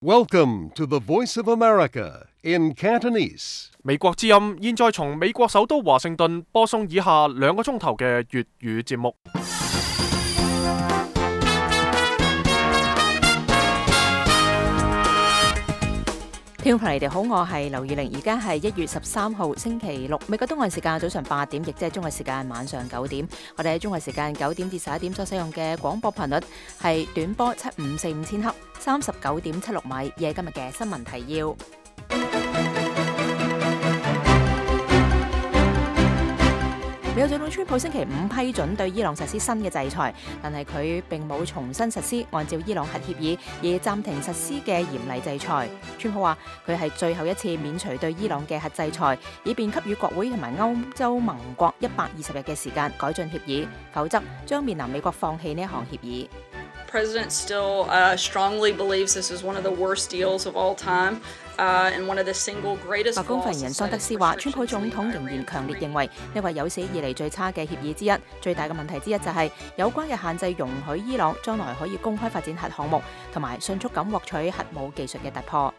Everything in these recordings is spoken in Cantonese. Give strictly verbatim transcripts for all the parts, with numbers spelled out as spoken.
Welcome to the Voice of America in Cantonese. 美國之音現在從美國首都華盛頓播送以下兩個鐘頭嘅粵語節目。聽眾朋友，你哋好，我係劉宇玲，而家係一月十三號星期六，美國東岸時間早上八點，亦即係中國時間晚上九點。我哋喺中國時間九點至十一點所使用嘅廣播頻率係短波七五四五千赫，三十九點七六米。以今日嘅新聞提要。美國總統川普星期五批准對伊朗實施新嘅制裁，但係佢並冇重新實施按照伊朗核協議而暫停實施嘅嚴厲制裁。川普話佢係最後一次免除對伊朗嘅核制裁，以便給予國會同埋歐洲盟國一百二十日嘅時間改進協議，否則將面臨美國放棄呢一項協議。President still uh, strongly believes this is one of the worst deals of all time, uh, and one of the single greatest. 白宮發言人桑德斯話，川普總統仍然強烈認為呢個有史以嚟最差嘅協議之一。最大嘅問題之一就係有關嘅限制容許伊朗將來可以公開發展核項目，同埋迅速咁獲取核武技術嘅突破。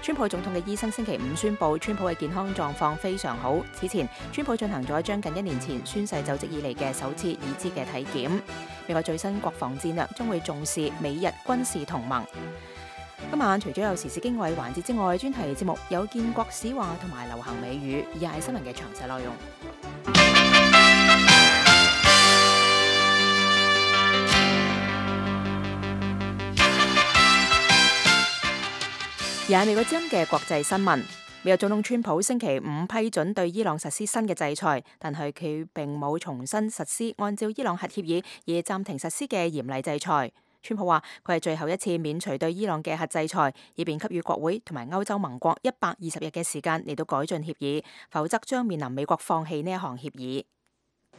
川普總統嘅醫生星期五宣布，川普嘅健康狀況非常好。此前，川普進行咗將近一年前宣誓就職以嚟嘅首次已知嘅體檢。美國最新國防戰略將會重視美日軍事同盟。今晚除咗有時事經緯環節之外，專題節目有建國史話同埋流行美語，以下係新聞嘅詳細內容。而係美國之音嘅國際新聞，美國總統川普星期五批准對伊朗實施新嘅制裁，但係佢並冇重新實施按照伊朗核協議而暫停實施嘅嚴厲制裁。川普話佢係最後一次免除對伊朗嘅核制裁，以便給予國會同埋歐洲盟國一百二十日嘅時間嚟到改進協議，否則將面臨美國放棄呢一項協議。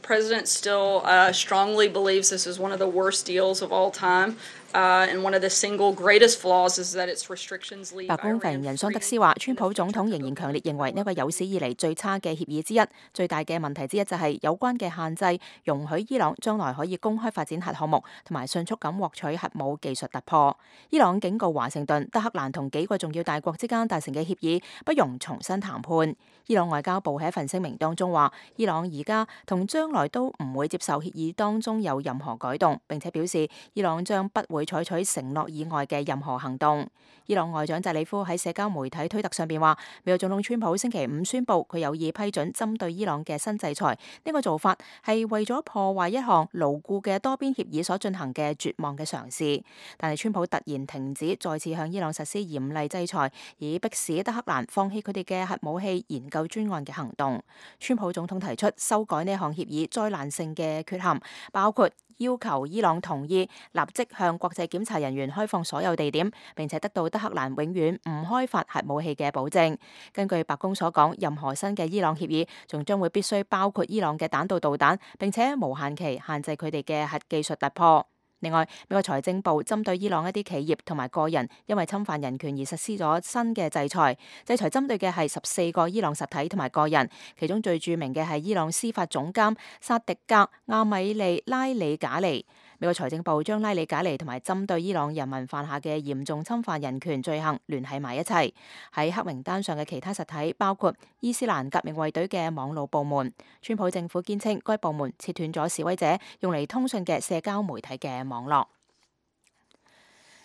President still uh, strongly believes this is one of the worst deals of all time, uh, and one of the single greatest flaws is that its restrictions leave. 白宮發言人桑德斯話，川普總統仍然強烈認為呢個有史以嚟最差嘅協議之一。最大嘅問題之一就係有關嘅限制容許伊朗將來可以公開發展核項目，同埋迅速咁獲取核武技術突破。伊朗警告華盛頓、德黑蘭同幾個重要大國之間達成嘅協議不容重新談判。伊朗外交部喺一份聲明當中話，伊朗而家同將來都唔會接受協議當中有任何改動，並且表示伊朗將不會採取承諾以外嘅任何行動。伊朗外長扎里夫喺社交媒體推特上邊話，美國總統川普星期五宣布佢有意批准針對伊朗嘅新制裁，呢個做法係為咗破壞一項牢固嘅多邊協議所進行嘅絕望嘅嘗試。但係川普突然停止再次向伊朗實施嚴厲制裁，以迫使德黑蘭放棄佢哋嘅核武器研究專案嘅行動。川普總統提出修改呢項協議災難性嘅缺陷，包括要求伊朗同意立即向國際檢查人員開放所有地點，並且得到德黑蘭永遠唔開發核武器嘅保證。根據白宮所講，任何新嘅伊朗協議仲將會必須包括伊朗嘅彈道導彈，並且無限期限制佢哋嘅核技術突破。另外，美國財政部針對伊朗一啲企業同埋個人因為侵犯人權而實施咗新嘅制裁，制裁針對嘅係十四個伊朗實體同埋個人，其中最著名嘅係伊朗司法總監薩迪格亞米利拉里賈尼。美國財政部將拉里賈尼同埋針對伊朗人民犯下嘅嚴重侵犯人權罪行聯繫埋一齊。喺黑名單上嘅其他實體包括伊斯蘭革命衛隊嘅網絡部門。川普政府堅稱該部門切斷咗示威者用嚟通訊嘅社交媒體嘅網絡。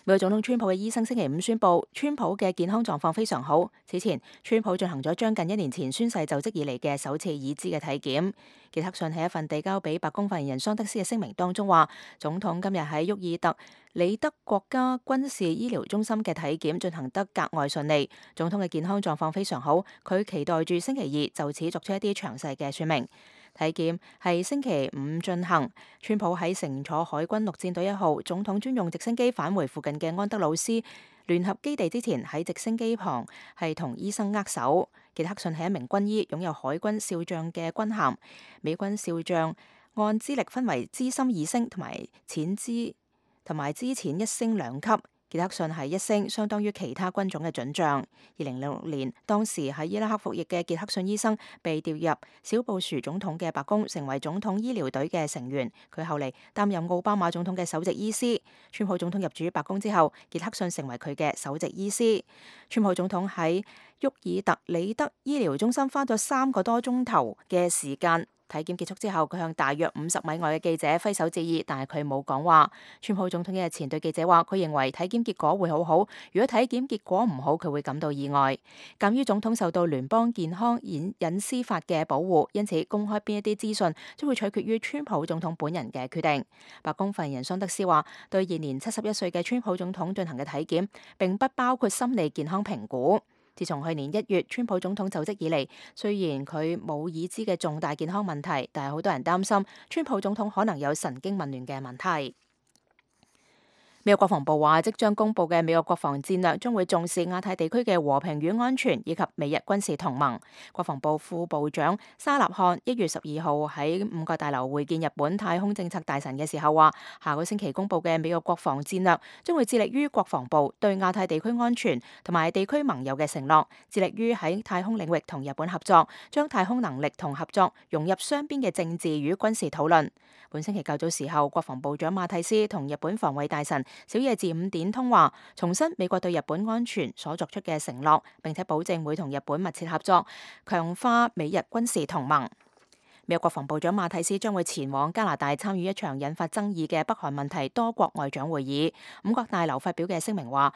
美國總統川普嘅醫生星期五宣布，川普嘅健康狀況非常好。此前，川普進行咗將近一年前宣誓就職以嚟嘅首次已知嘅體檢。傑克遜喺一份遞交俾白宮發言人桑德斯嘅聲明當中話，總統今日喺沃爾特里德國家軍事醫療中心嘅體檢進行得格外順利，總統嘅健康狀況非常好，佢期待住星期二就此作出一啲詳細嘅說明。體檢係星期五進行，川普喺乘坐海軍陸戰隊一號總統專用直升機返回附近嘅安德魯斯聯合基地之前，喺直升機旁係同醫生握手。傑克遜係一名軍醫，擁有海軍少將嘅軍銜。美軍少將按資歷分為資深二星同埋淺資同埋資淺一星兩級。傑克遜係一星，相當於其他軍種嘅准將。二零零六年，當時喺伊拉克服役嘅傑克遜醫生被調入小布殊總統嘅白宮，成為總統醫療隊嘅成員。佢後嚟擔任奧巴馬總統嘅首席醫師。川普總統入主白宮之後，傑克遜成為佢嘅首席醫師。川普總統喺沃爾特里德醫療中心花咗三個多鐘頭嘅時間。體檢結束之後，佢向大約五十米外嘅記者揮手致意，但係佢冇講話。川普總統日前對記者話，佢認為體檢結果會好好，如果體檢結果唔好，佢會感到意外。鑑於總統受到聯邦健康隱隱私法嘅保護，因此公開邊一啲資訊將會取決於川普總統本人嘅決定。白宮發言人桑德斯話，對現年七十一歲嘅川普總統進行嘅體檢並不包括心理健康評估。自從去年一月川普總統就職以嚟，雖然佢冇已知嘅重大健康問題，但係好多人擔心川普總統可能有神經紊亂嘅問題。美國國防部話，即將公布嘅美國國防戰略將會重視亞太地區嘅和平與安全，以及美日軍事同盟。國防部副部長沙納漢一月十二號喺五角大樓會見日本太空政策大臣嘅時候話，下個星期公布嘅美國國防戰略將會致力於國防部對亞太地區安全同埋地區盟友嘅承諾，致力於喺太空領域同日本合作，將太空能力同合作融入雙邊嘅政治與軍事討論。本星期較早時候，國防部長馬蒂斯同日本防衛大臣小野寺五點通話，重申美國對日本安全所作出嘅承諾，並且保證會同日本密切合作，強化美日軍事同盟。美國國防部長馬蒂斯將會前往加拿大參與一場引發爭議嘅北韓問題多國外長會議。五角大樓發表嘅聲明話，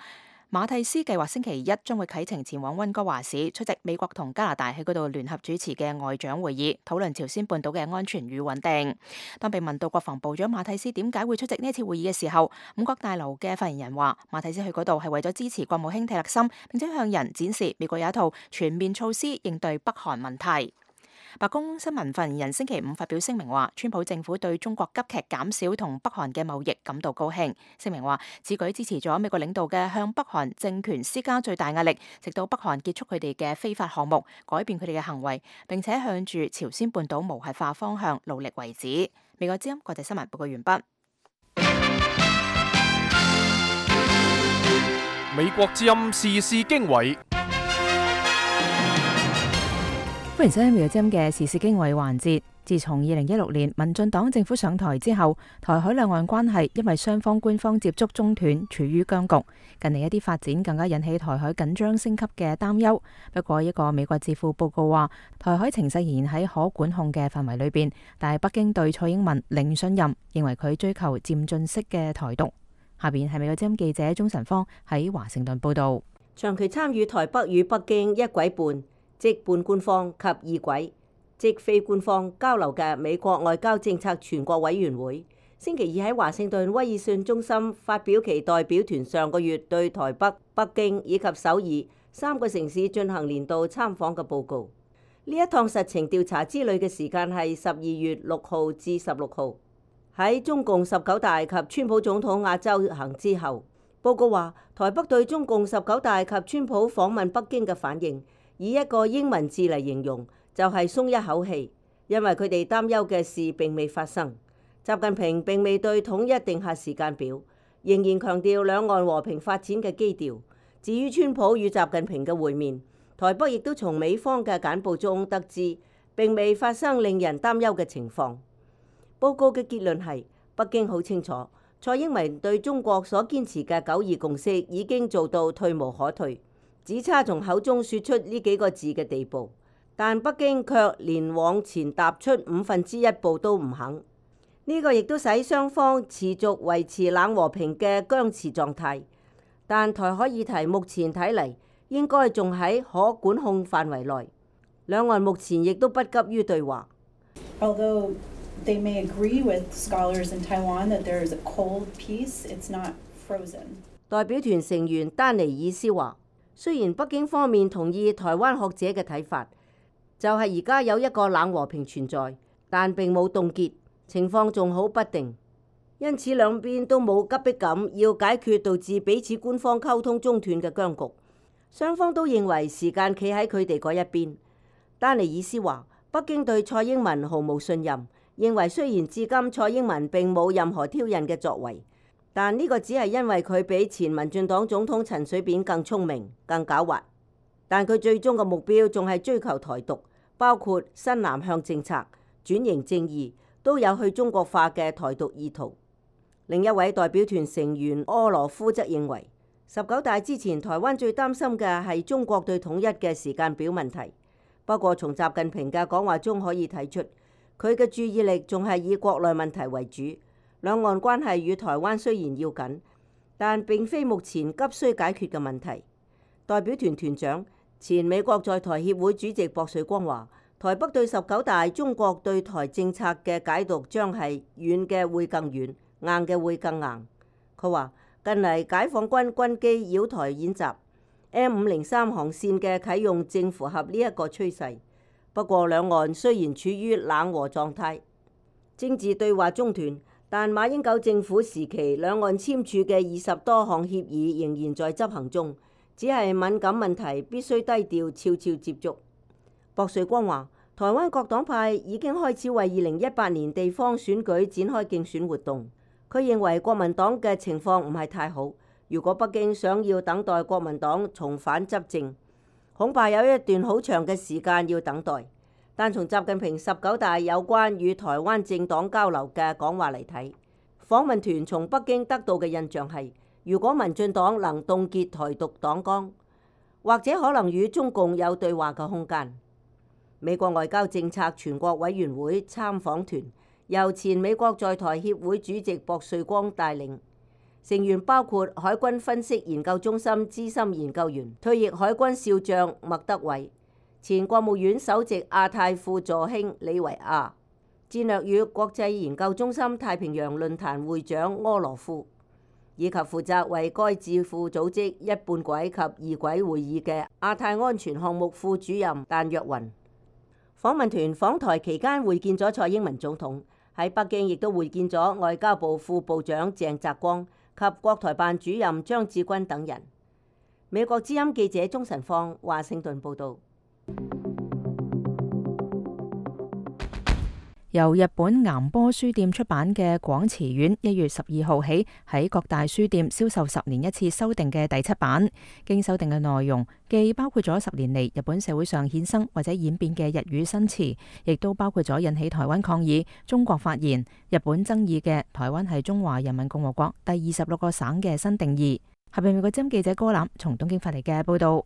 馬蒂斯計劃星期一將會啟程前往溫哥華市出席美國同加拿大喺嗰度聯合主持嘅外長會議，討論朝鮮半島嘅安全與穩定。當被問到國防部長馬蒂斯點解會出席呢次會議嘅時候，五角大樓嘅發言人話，馬蒂斯去嗰度係為咗支持國務卿蒂勒森，並且向人展示美國有一套全面措施應對北韓問題。白宮新聞發言人星期五發表聲明話，川普政府對中國急劇減少同北韓嘅貿易感到高興。聲明話，此舉支持咗美國領導嘅向北韓政權施加最大壓力，直到北韓結束佢哋嘅非法項目，改變佢哋嘅行為，並且向住朝鮮半島無核化方向努力為止。美國之音國際新聞報告完畢。美國之音時事經緯。歡迎收聽《美國之音》嘅時事經緯環節。自從二零一六年民進黨政府上台之後，台海兩岸關係因為雙方官方接觸中斷，處於僵局。近嚟一啲發展更加引起台海緊張升級嘅擔憂。不過，一個美國智庫報告話，台海情勢仍然喺可管控嘅範圍裏邊，但係北京對蔡英文零信任，認為佢追求漸進式嘅台獨。下邊係美國之音記者鍾晨芳喺華盛頓報道。長期參與台北與北京一軌半，即半官方及二軌，即非官方交流嘅美國外交政策全國委員會，星期二喺華盛頓威爾遜中心發表其代表團上個月對台北、北京以及首爾三個城市進行年度參訪嘅報告。呢一趟實情調查之旅嘅時間係十二月六號至十六號，喺中共十九大及川普總統亞洲行之後。報告話，台北對中共十九大及川普訪問北京嘅反應，以一個英文字嚟形容，就係鬆一口氣，因為佢哋擔憂嘅事並未發生。習近平並未對統一定下時間表，仍然強調兩岸和平發展嘅基調。至於川普與習近平嘅會面，台北亦都從美方嘅簡報中得知，並未發生令人擔憂嘅情況。報告嘅結論係，北京好清楚，蔡英文對中國所堅持嘅九二共識已經做到退無可退，只差從口中說出呢幾個字嘅地步，但北京卻連往前踏出五分之一步都唔肯。呢個亦都使雙方持續維持冷和平嘅僵持狀態。但台海議題目前睇嚟應該仲喺可管控範圍內，兩岸目前亦都不急於對話。Although they may agree with scholars in Taiwan that there is a cold peace, it's not frozen. 代表團成員丹尼爾斯話，雖然北京方面同意台灣學者嘅睇法，就係而家有一個冷和平存在，但並冇凍結，情況仲好不定。因此兩邊都冇急迫感要解決導致彼此官方溝通中斷嘅僵局，雙方都認為時間企喺佢哋嗰一邊。丹尼爾斯話，北京對蔡英文毫無信任，認為雖然至今蔡英文並冇任何挑釁嘅作為，但呢個只係因為佢比前民進黨總統陳水扁更聰明、更狡猾。但佢最終嘅目標仲係追求台獨，包括新南向政策、轉型正義，都有去中國化嘅台獨意圖。另一位代表團成員柯羅夫則認為，十九大之前台灣最擔心嘅係中國對統一嘅時間表問題。不過從習近平嘅講話中可以睇出，佢嘅注意力仲係以國內問題為主。兩岸關係與台灣雖然要緊，但並非目前急需解決嘅問題。代表團團長、前美國在台協會主席薄瑞光話，台北對十九大中國對台政策嘅解讀將係軟嘅會更軟，硬嘅會更硬。佢話近嚟解放軍軍機擾台演習 M 五零三航線嘅啟用正符合呢一個趨勢。不過兩岸雖然處於冷和狀態，政治對話中斷，但馬英九政府時期兩岸簽署嘅二十多項協議仍然在執行中，只係敏感問題必須低調悄悄接觸。薄瑞光話，台灣各黨派已經開始為二零一八年地方選舉展開競選活動。佢認為國民黨嘅情況唔係太好，如果北京想要等待國民黨重返執政，恐怕有一段好長嘅時間要等待。但從習近平十九大有關與台灣政黨交流嘅講話嚟睇，訪問團從北京得到嘅印象係，如果民進黨能凍結台獨黨綱，或者可能與中共有對話嘅空間。美國外交政策全國委員會參訪團由前美國在台協會主席薄瑞光帶領，成員包括海軍分析研究中心資深研究員、退役海軍少將麥德偉，前國務院首席亞太副助卿李維亞，戰略與國際研究中心太平洋論壇會長柯羅夫，以及負責為該智庫組織一半軌及二軌會議嘅亞太安全項目副主任但若雲。訪問團訪台期間會見咗蔡英文總統，喺北京亦都會見咗外交部副部長鄭澤光及國台辦主任張志軍等人。美國之音記者鍾晨芳華盛頓報道。由日本岩波書店出版嘅《廣辭苑》一月十二號起喺各大書店銷售十年一次修訂嘅第七版，經修訂嘅內容既包括咗十年嚟日本社會上衍生或者演變嘅日語新詞，亦都包括咗引起台灣抗議、中國發言、日本爭議嘅台灣係中華人民共和國第二十六個省嘅新定義。下邊美國之音記者歌欖從東京發嚟嘅報道。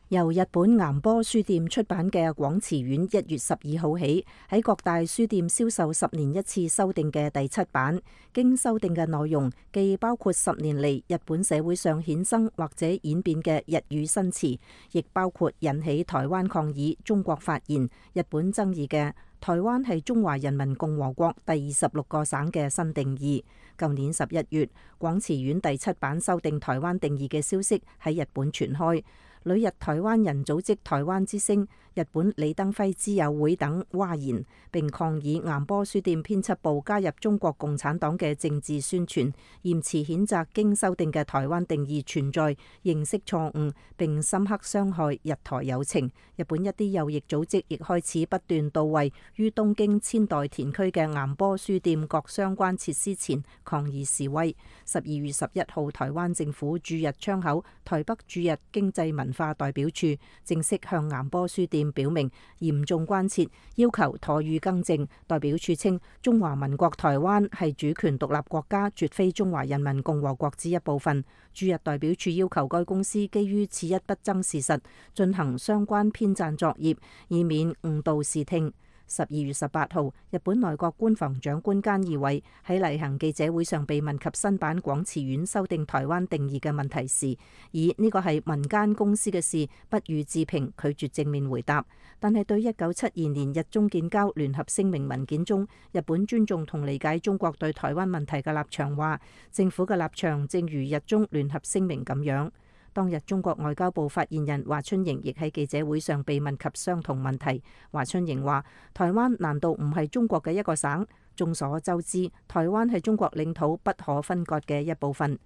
由日本岩波書店出版嘅《廣辭苑》一月十二號起喺各大書店銷售十年一次修訂嘅第七版，經修訂嘅內容既包括十年嚟日本社會上衍生或者演變嘅日語新詞，亦包括引起台灣抗議、中國發言、日本爭議嘅台灣係中華人民共和國第二十六個省嘅新定義。舊年十一月，《廣辭苑》第七版修訂台灣定義嘅消息喺日本傳開。旅日台灣人組織台灣之聲、日本李登輝之友會等譁言，並抗議岩波書店編輯部加入中國共產黨嘅政治宣傳，嚴詞譴責經修訂嘅台灣定義存在認識錯誤，並深刻傷害日台友情。日本一啲右翼組織亦開始不斷到位於東京千代田區嘅岩波書店各相關設施前抗議示威。十二月十一號，台灣政府駐日窗口台北駐日經濟文化代表處正式向岩波書店表明嚴重關切，要求妥予更正。代表處稱，中華民國台灣係主權獨立國家，絕非中華人民共和國之一部分。駐日代表處要求該公司基於此一不爭事實，進行相關編撰作業，以免誤導視聽。十二月十八號，日本內閣官房長官菅義偉喺例行記者會上被問及新版廣辭苑修訂台灣定義嘅問題時，以呢個係民間公司嘅事，不予置評，拒絕正面回答。但係對一九七二年日中建交聯合聲明文件中日本尊重同理解中國對台灣問題嘅立場話，政府嘅立場正如日中聯合聲明咁樣。當日中國外交部發言人華春瑩亦喺記者會上被問及相同問題。華春瑩話：台灣難道唔係中國嘅一個省？眾所周知，台灣係中國領土不可分割嘅一部分。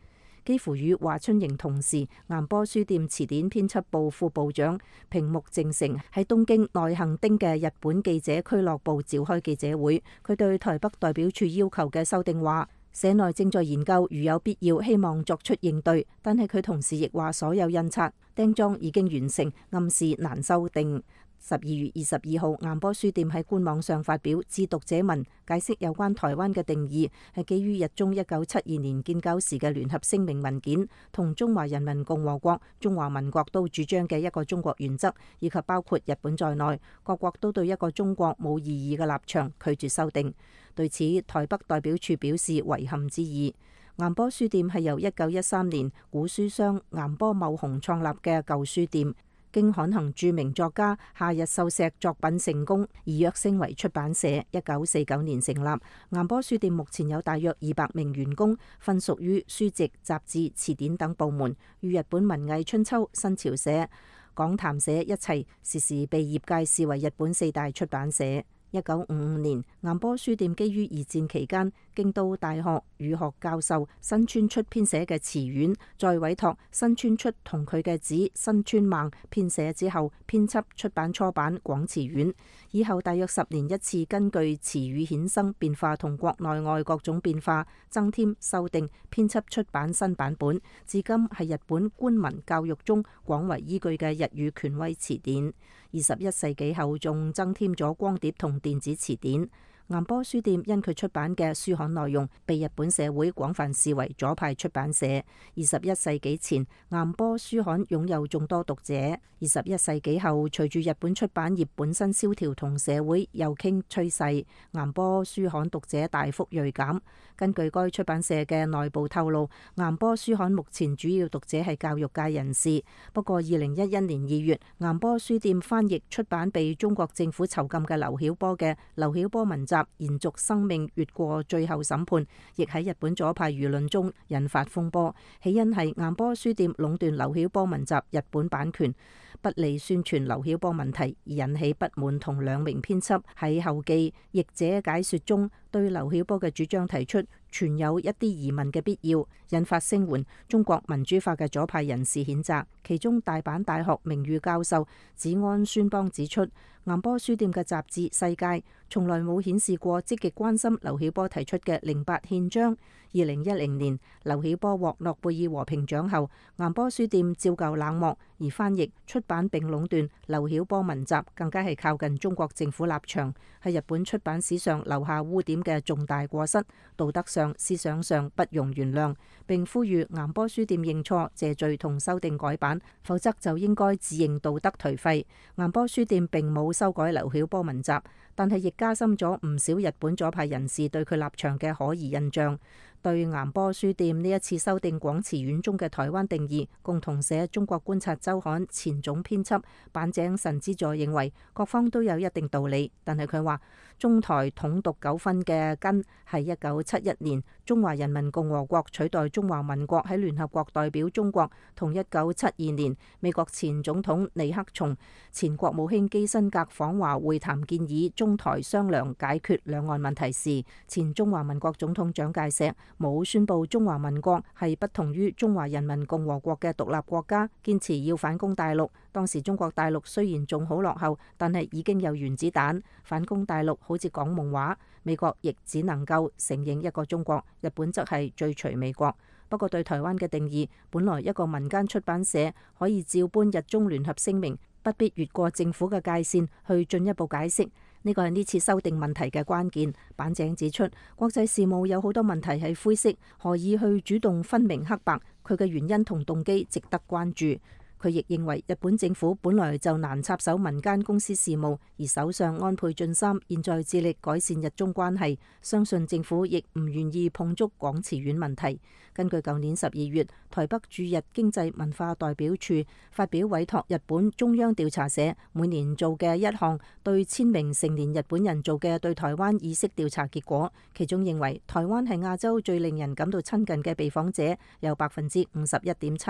幾乎與華春瑩同時，岩波書店詞典編輯部副部長平木正成喺東京內行町嘅日本記者俱樂部召開記者會，佢對台北代表處要求嘅修訂話：社內正在研究，如有必要，希望作出應對。但係佢同時亦話，所有印刷釘裝已經完成，暗示難修訂。十二月二十二號，岩波書店喺官網上發表致讀者文，解釋有關台灣嘅定義係基於日中一九七二年建交時嘅聯合聲明文件，同中華人民共和國、中華民國都主張嘅一個中國原則，以及包括日本在內，各國都對一個中國冇異議嘅立場，拒絕修訂。對此，台北代表處表示遺憾之意。岩波書店係由一九一三年古書商岩波茂雄創立嘅舊書店。經刊行著名作家夏日秀石作品成功，而躍升為出版社。一九四九年成立，岩波書店目前有大約二百名員工，分屬於書籍、雜誌、詞典等部門，與日本文藝春秋、新潮社、講談社一齊，時時被業界視為日本四大出版社。一九五五年，岩波書店基於二戰期間京都大學語學教授新川出編寫嘅詞苑，再委託新川出同佢嘅子新川孟編寫之後，編輯出版初版廣詞苑。以後大約十年一次，根據詞語衍生變化同國內外各種變化，增添修訂編輯出版新版本。至今係日本官文教育中廣為依據嘅日語權威詞典。二十一世紀後仲增添咗光碟同電子詞典。岩波書店因佢出版嘅書刊內容，被日本社會廣泛視為左派出版社。二十一世紀前，岩波書刊擁有眾多讀者。二十一世紀後，隨住日本出版業本身蕭條同社會右傾趨勢，岩波書刊讀者大幅銳減。根據該出版社嘅內部透露，岩波書刊目前主要讀者係教育界人士。不過，二零一一年二月，岩波書店翻譯出版被中國政府囚禁嘅劉曉波嘅《劉曉波文集》延續生命越過最後審判，亦喺日本左派輿論中引發風波。起因係岩波書店壟斷劉曉波文集日本版權，不利宣傳劉曉波問題，而引起不滿，同兩名編輯喺後記譯者解說中對劉曉波嘅主張提出存有一啲疑問嘅必要，引發聲援中國民主化嘅左派人士譴責。其中大阪大學名譽教授子安孫邦指出，岩波書店嘅雜誌《世界》從來冇顯示過積極關心劉曉波提出嘅零八憲章。二零一零年劉曉波獲諾貝爾和平獎後，岩波書店照舊冷漠，而翻譯出版並壟斷劉曉波文集，更加係靠近中國政府立場，係日本出版史上留下污點嘅重大過失，道德上思想上不容原諒，並呼籲岩波書店認錯謝罪同修訂改版，否則就應該自認道德頹廢。岩波書店並冇修改劉曉波文集，但係亦加深咗唔少日本左派人士對佢立場嘅可疑印象。對岩波書店呢一次修訂廣詞苑中嘅台灣定義，共同社中國觀察週刊前總編輯板井神之助認為各方都有一定道理，但係佢話中台統獨糾紛嘅根係一九七一年中華人民共和國取代中華民國喺聯合國代表中國，同一九七二年美國前總統尼克松、前國務卿基辛格訪華會談，建議中台商量解決兩岸問題時，前中華民國總統蔣介石冇宣布中華民國係不同於中華人民共和國嘅獨立國家，堅持要反攻大陸。當時中國大陸雖然仲好落後，但係已經有原子彈，反攻大陸好似講夢話。美國亦只能夠承認一個中國，日本則係追隨美國。不過對台灣嘅定義，本來一個民間出版社可以照搬日中聯合聲明，不必越過政府嘅界線去進一步解釋。呢個係呢次修訂問題嘅關鍵。板井指出，國際事務有好多問題係灰色，何以去主動分明黑白？佢嘅原因同動機值得關注。佢亦認為日本政府本來就難插手民間公司事務，而首相安倍晉三現在致力改善日中關係，相信政府亦唔願意碰觸廣詞苑問題。根據舊年十二月台北駐日經濟文化代表處發表委託日本中央調查社每年做嘅一項對千名成年日本人做嘅對台灣意識調查結果，其中認為台灣係亞洲最令人感到親近嘅被訪者有百分之五十一點七，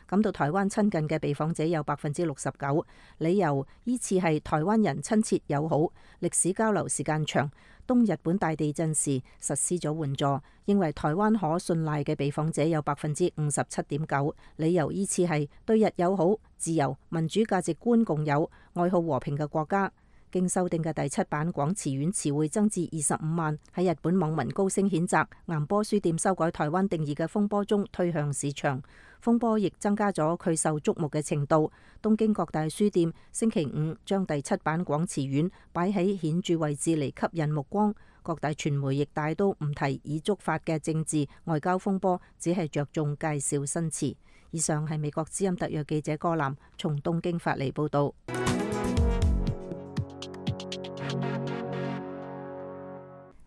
感到台灣親近嘅被訪者有百分之六十九，理由依次係台灣人親切友好、歷史交流時間長、東日本大地震時實施咗援助。認為台灣可信賴嘅被訪者有百分之五十七點九，理由依次係對日友好、自由、民主價值觀共有、愛好和平嘅國家。經修訂嘅第七版廣辭苑詞彙增至二十五萬。喺日本網民高聲譴責岩波書店修改台灣定義嘅風波中推向市場，風波亦增加咗佢受矚目嘅程度。東京各大書店星期五將第七版廣辭苑擺喺顯著位置嚟吸引目光，各大傳媒亦大都唔提已觸發嘅政治外交風波，只係着重介紹新詞。以上係美國之音特約記者柯南從東京發嚟報道。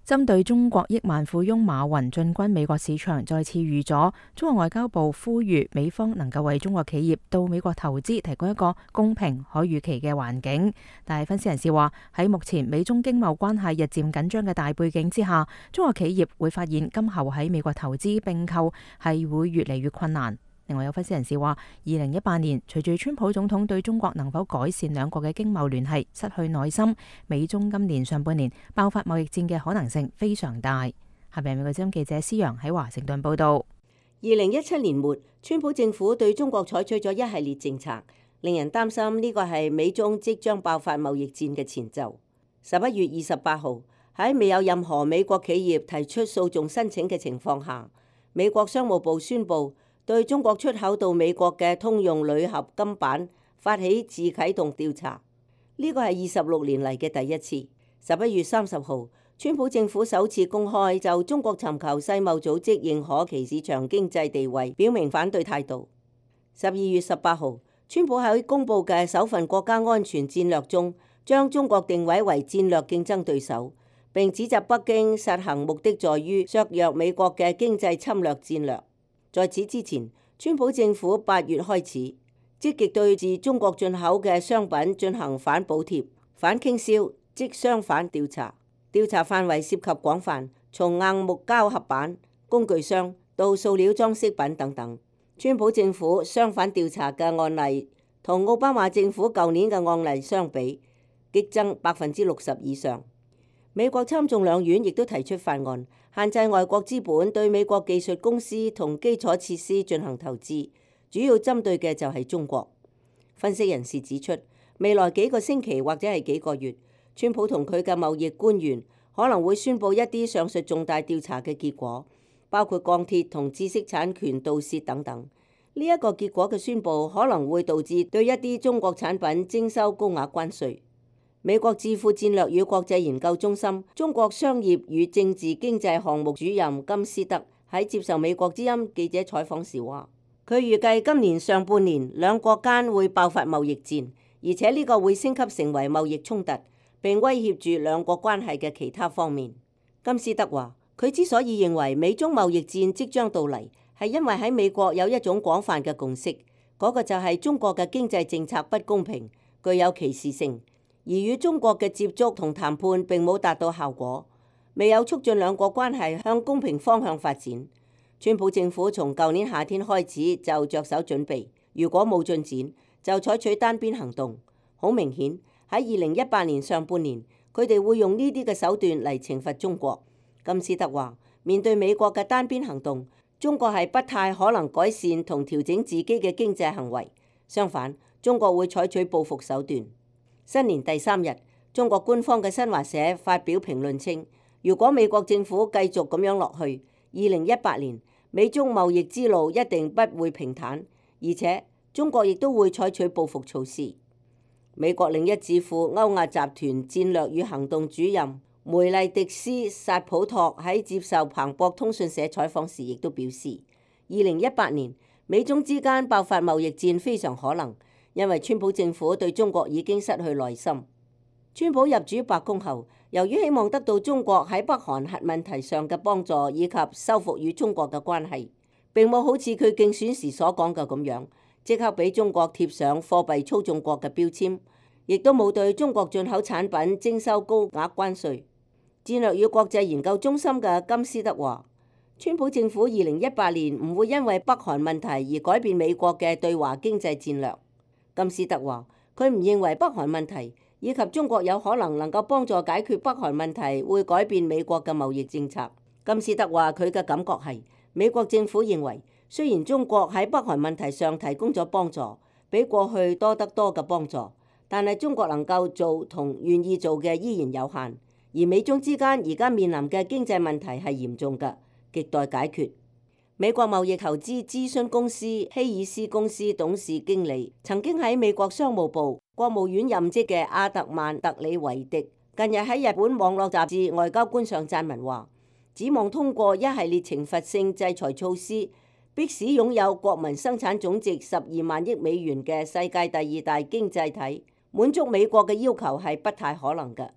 針對中國億萬富翁馬雲進軍美國市場再次遇阻，中國外交部呼籲美方能夠為中國企業到美國投資提供一個公平可預期嘅環境。但係分析人士話，喺目前美中經貿關係日漸緊張嘅大背景之下，中國企業會發現今後喺美國投資併購係會越嚟越困難。另外有分析人士話，二零一八年隨住川普總統對中國能否改善兩國嘅經貿聯繫失去耐心，美中今年上半年爆發貿易戰嘅可能性非常大。下邊美國之音記者施陽喺華盛頓報道。二零一七年末，川普政府對中國採取咗一系列政策，令人擔心呢個係美中即將爆發貿易戰嘅前奏。十一月二十八號，喺未有任何美國企業提出訴訟申請嘅情況下，美國商務部宣布對中國出口到美國嘅通用鋁合金板發起自啟動調查，呢個係二十六年嚟嘅第一次。十一月三十號，川普政府首次公開就中國尋求世貿組織認可其市場經濟地位表明反對態度。十二月十八號，川普喺公布嘅首份國家安全戰略中，將中國定位為戰略競爭對手，並指責北京實行目的在於削弱美國嘅經濟侵略戰略。在此之前，川普政府八月開始積極對自中國進口嘅商品進行反補貼、反傾銷即商反調查，調查範圍涉及廣泛，從硬木膠合板、工具箱到塑料裝飾品等等。川普政府商反調查嘅案例同奧巴馬政府舊年嘅案例相比，激增百分之六十以上。美國參眾兩院亦都提出法案，限制外國資本對美國技術公司同基礎設施進行投資，主要針對嘅就係中國。分析人士指出，未來幾個星期或者係幾個月，川普同佢嘅貿易官員可能會宣布一啲上述重大調查嘅結果，包括鋼鐵同知識產權盜竊等等。呢一個結果嘅宣布可能會導致對一啲中國產品徵收高額關稅。美國智庫戰略與國際研究中心中國商業與政治經濟項目主任金斯德喺接受美國之音記者採訪時話，佢預計今年上半年兩國間會爆發貿易戰，而且呢個會升級成為貿易衝突，並威脅住兩國關係嘅其他方面。金斯德話，佢之所以認為美中貿易戰即將到嚟，係因為喺美國有一種廣泛嘅共識，嗰個就係中國嘅經濟政策不公平，具有歧視性。而與中國嘅接觸同談判並冇達到效果，未有促進兩國關係向公平方向發展。川普政府從舊年夏天開始就着手準備，如果冇進展，就採取單邊行動。好明顯喺二零一八年上半年，佢哋會用呢啲嘅手段嚟懲罰中國。金斯德話，面對美國嘅單邊行動，中國係不太可能改善同調整自己嘅經濟行為，相反，中國會採取報復手段。新年第三日，中國官方嘅新華社發表評論稱，如果美國政府繼續咁樣落去，二零一八年美中貿易之路一定不會平坦，而且中國亦都會採取報復措施。美國另一智庫歐亞集團戰略與行動主任梅麗迪斯薩普托喺接受彭博通訊社採訪時亦都表示，二零一八年美中之間爆發貿易戰非常可能。因為川普政府對中國已經失去耐心。川普入主白宮後，由於希望得到中國喺北韓核問題上嘅幫助，以及修復與中國嘅關係，並冇好似佢競選時所講嘅咁樣，即刻俾中國貼上貨幣操縱國嘅標籤，亦都冇對中國進口產品徵收高額關稅。戰略與國際研究中心嘅金斯德話，川普政府二零一八年唔會因為北韓問題而改變美國嘅對華經濟戰略。金斯德話，佢唔認為北韓問題以及中國有可能能夠幫助解決北韓問題會改變美國嘅貿易政策。金斯德話，佢嘅感覺係美國政府認為，雖然中國喺北韓問題上提供咗幫助，比過去多得多嘅幫助，但係中國能夠做同願意做嘅依然有限，而美中之間而家面臨嘅經濟問題係嚴重嘅，亟待解決。美國貿易投資諮詢公司希爾斯公司董事經理，曾經喺美國商務部、國務院任職嘅阿特曼特里維迪，近日喺日本網絡雜誌《外交官》上撰文話，指望通過一系列懲罰性制裁措施，迫使擁有國民生產總值十二萬億美元嘅世界第二大經濟體滿足美國嘅要求係不太可能嘅。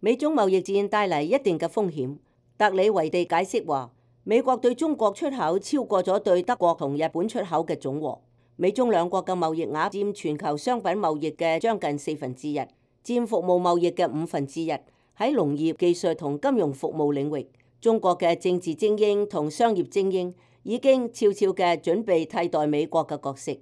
美中貿易戰帶嚟一定嘅風險。特里維地解釋話，美國對中國出口超過咗對德國同日本出口嘅總和。美中兩國嘅貿易額佔全球商品貿易嘅將近四分之一，佔服務貿易嘅五分之一。喺農業、技術同金融服務領域，中國嘅政治精英同商業精英已經悄悄嘅準備替代美國嘅角色。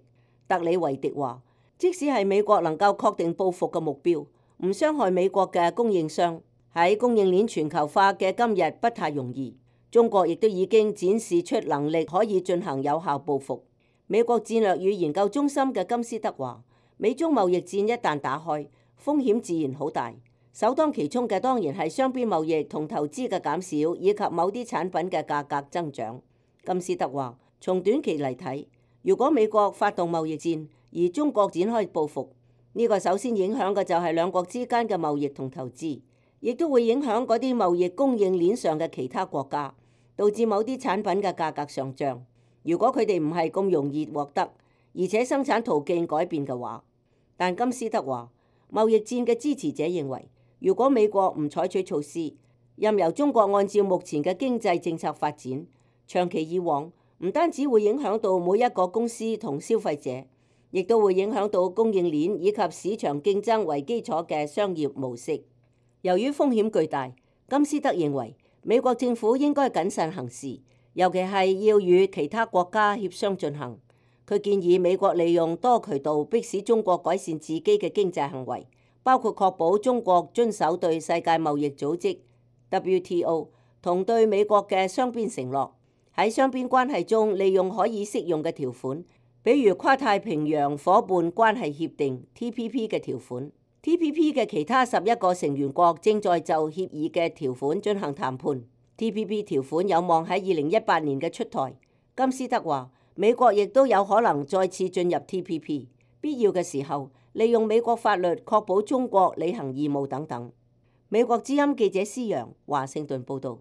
特里維迪話，即使係美國能夠確定報復嘅目標，唔傷害美國嘅供應商，喺供應鏈全球化嘅今日不太容易。中國亦都已經展示出能力可以進行有效報復。美國戰略與研究中心嘅金斯德話，美中貿易戰一旦打開，風險自然好大。首當其衝嘅當然係雙邊貿易同投資嘅減少，以及某啲產品嘅價格增長。金斯德話，從短期嚟睇，如果美國發動貿易戰，而中國展開報復，呢個首先影響嘅就係兩國之間嘅貿易同投資，亦都會影響嗰啲貿易供應鏈上嘅其他國家，導致某啲產品嘅價格上漲。如果佢哋唔係咁容易獲得，而且生產途徑改變嘅話，但金斯德話，貿易戰嘅支持者認為，如果美國唔採取措施，任由中國按照目前嘅經濟政策發展，長期以往唔單止會影響到每一個公司同消費者，亦都會影響到供應鏈以及市場競爭為基礎嘅商業模式。由於風險巨大，金斯德認為美國政府應該謹慎行事，尤其係要與其他國家協商進行。佢建議美國利用多渠道迫使中國改善自己嘅經濟行為，包括確保中國遵守對世界貿易組織 W T O 同對美國嘅雙邊承諾，喺雙邊關係中利用可以適用嘅條款，比如跨太平洋夥伴關係協定 T P P 嘅條款。T P P 嘅其他十一個成員國正在就協議嘅條款進行談判。T P P 條款有望喺二零一八年嘅出台。金斯德話，美國亦都有可能再次進入 T P P， 必要嘅時候利用美國法律確保中國履行義務等等。美國之音記者施洋華盛頓報導。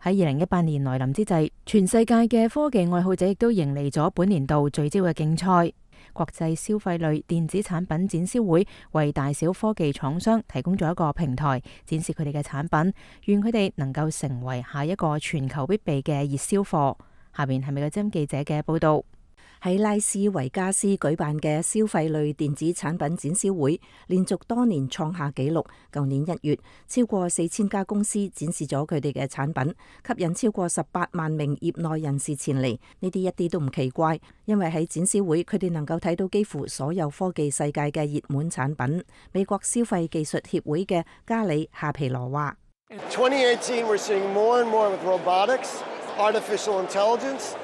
喺二零一八年來臨之際，全世界嘅科技愛好者亦都迎嚟咗本年度聚焦嘅競賽。國際消費類電子產品展銷會為大小科技廠商提供咗一個平台，展示佢哋嘅產品，願佢哋能夠成為下一個全球必備嘅熱銷貨。下邊係美國之音記者嘅報道。喺拉斯維加斯舉辦嘅消費類電子產品展銷會，連續多年創下紀錄。舊年一月，超過四千家公司展示咗佢哋嘅產品，吸引超過十八萬名業內人士前嚟。呢啲一啲都唔奇怪，因為喺展銷會，佢哋能夠睇到幾乎所有科技世界嘅熱門產品。美國消費技術協會嘅加里夏皮羅話twenty eighteen we're seeing more and more with robotics, artificial intelligence.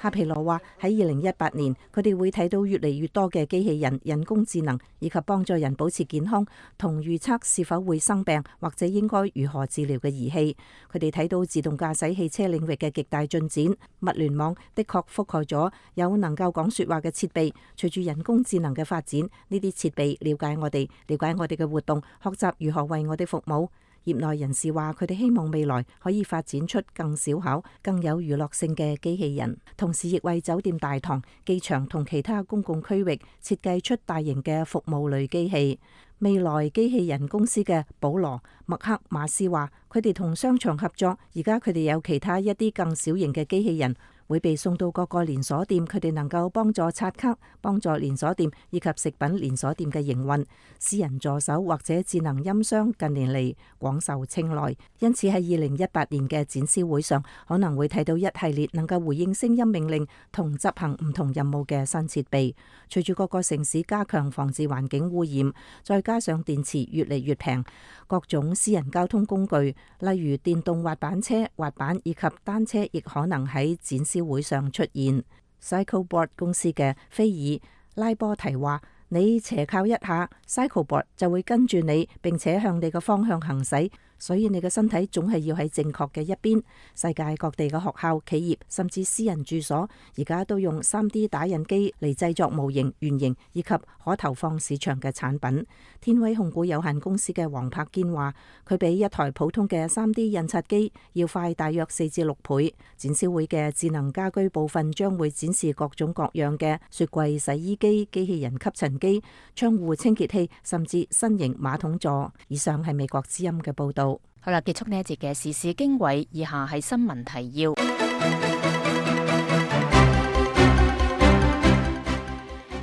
夏皮羅話喺二零一八年，佢哋會睇到越嚟越多嘅機器人、人工智能以及幫助人保持健康同預測是否會生病或者應該如何治療嘅儀器。佢哋睇到自動駕駛汽車領域嘅極大進展，物聯網的確覆蓋咗有能夠講說話嘅設備。隨住人工智能嘅發展，呢啲設備了解我哋，了解我哋嘅活動，學習如何為我哋服務。業內人士話，佢哋希望未來可以發展出更小巧、更有娛樂性嘅機器人，同時亦為酒店大堂、機場同其他公共區域設計出大型嘅服務類機器。未來機器人公司嘅保羅麥克馬斯話，佢哋同商場合作，而家佢哋有其他一啲更小型嘅機器人會被送到各個連鎖店，佢哋能夠幫助刷卡、幫助連鎖店以及食品連鎖店嘅營運。私人助手或者智能音箱近年嚟廣受青睞，因此喺二零一八年嘅展銷會上，可能會睇到一系列能夠回應聲音命令同執行唔同任務嘅新設備。隨住各個城市加強防治環境污染，再加上電池越嚟越平，各種私人交通工具，例如電動滑板車、滑板以及單車，亦可能喺展銷會上出現。CycleBoard 公司嘅菲爾拉波提話：你斜靠一下 CycleBoard 就會跟住你，並且向你嘅方向行駛。所以你嘅身體總係要喺正確嘅一邊。世界各地嘅學校、企業甚至私人住所，而家都用 三 D 打印機嚟製作模型、原型以及可投放市場嘅產品。天威控股有限公司嘅黃柏堅話，佢比一台普通嘅 三 D 印刷機要快大約四至六倍。展銷會嘅智能家居部分將會展示各種各樣嘅雪櫃、洗衣機、機器人吸塵機、窗戶清潔器，甚至新型馬桶座。以上係美國之音嘅報道。好啦，結束呢一節嘅時事經緯，以下係新聞提要。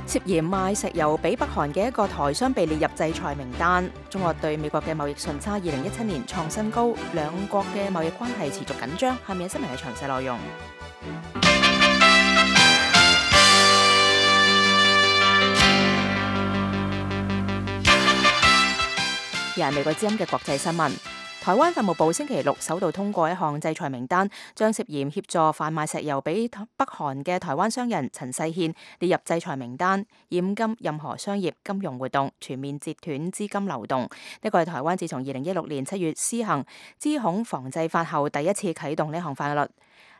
涉嫌賣石油俾北韓嘅一個台商被列入制裁名單。中國對美國嘅貿易順差二零一七年創新高，兩國嘅貿易關係持續緊張。下面新聞嘅詳細內容。而係美國之音嘅國際新聞。台灣法務部星期六首度通過一項制裁名單，將涉嫌協助販賣石油俾北韓嘅台灣商人陳世憲列入制裁名單，嚴禁任何商業金融活動，全面截斷資金流動。呢個係台灣自從二零一六年七月施行資恐防制法後第一次啟動呢項法律。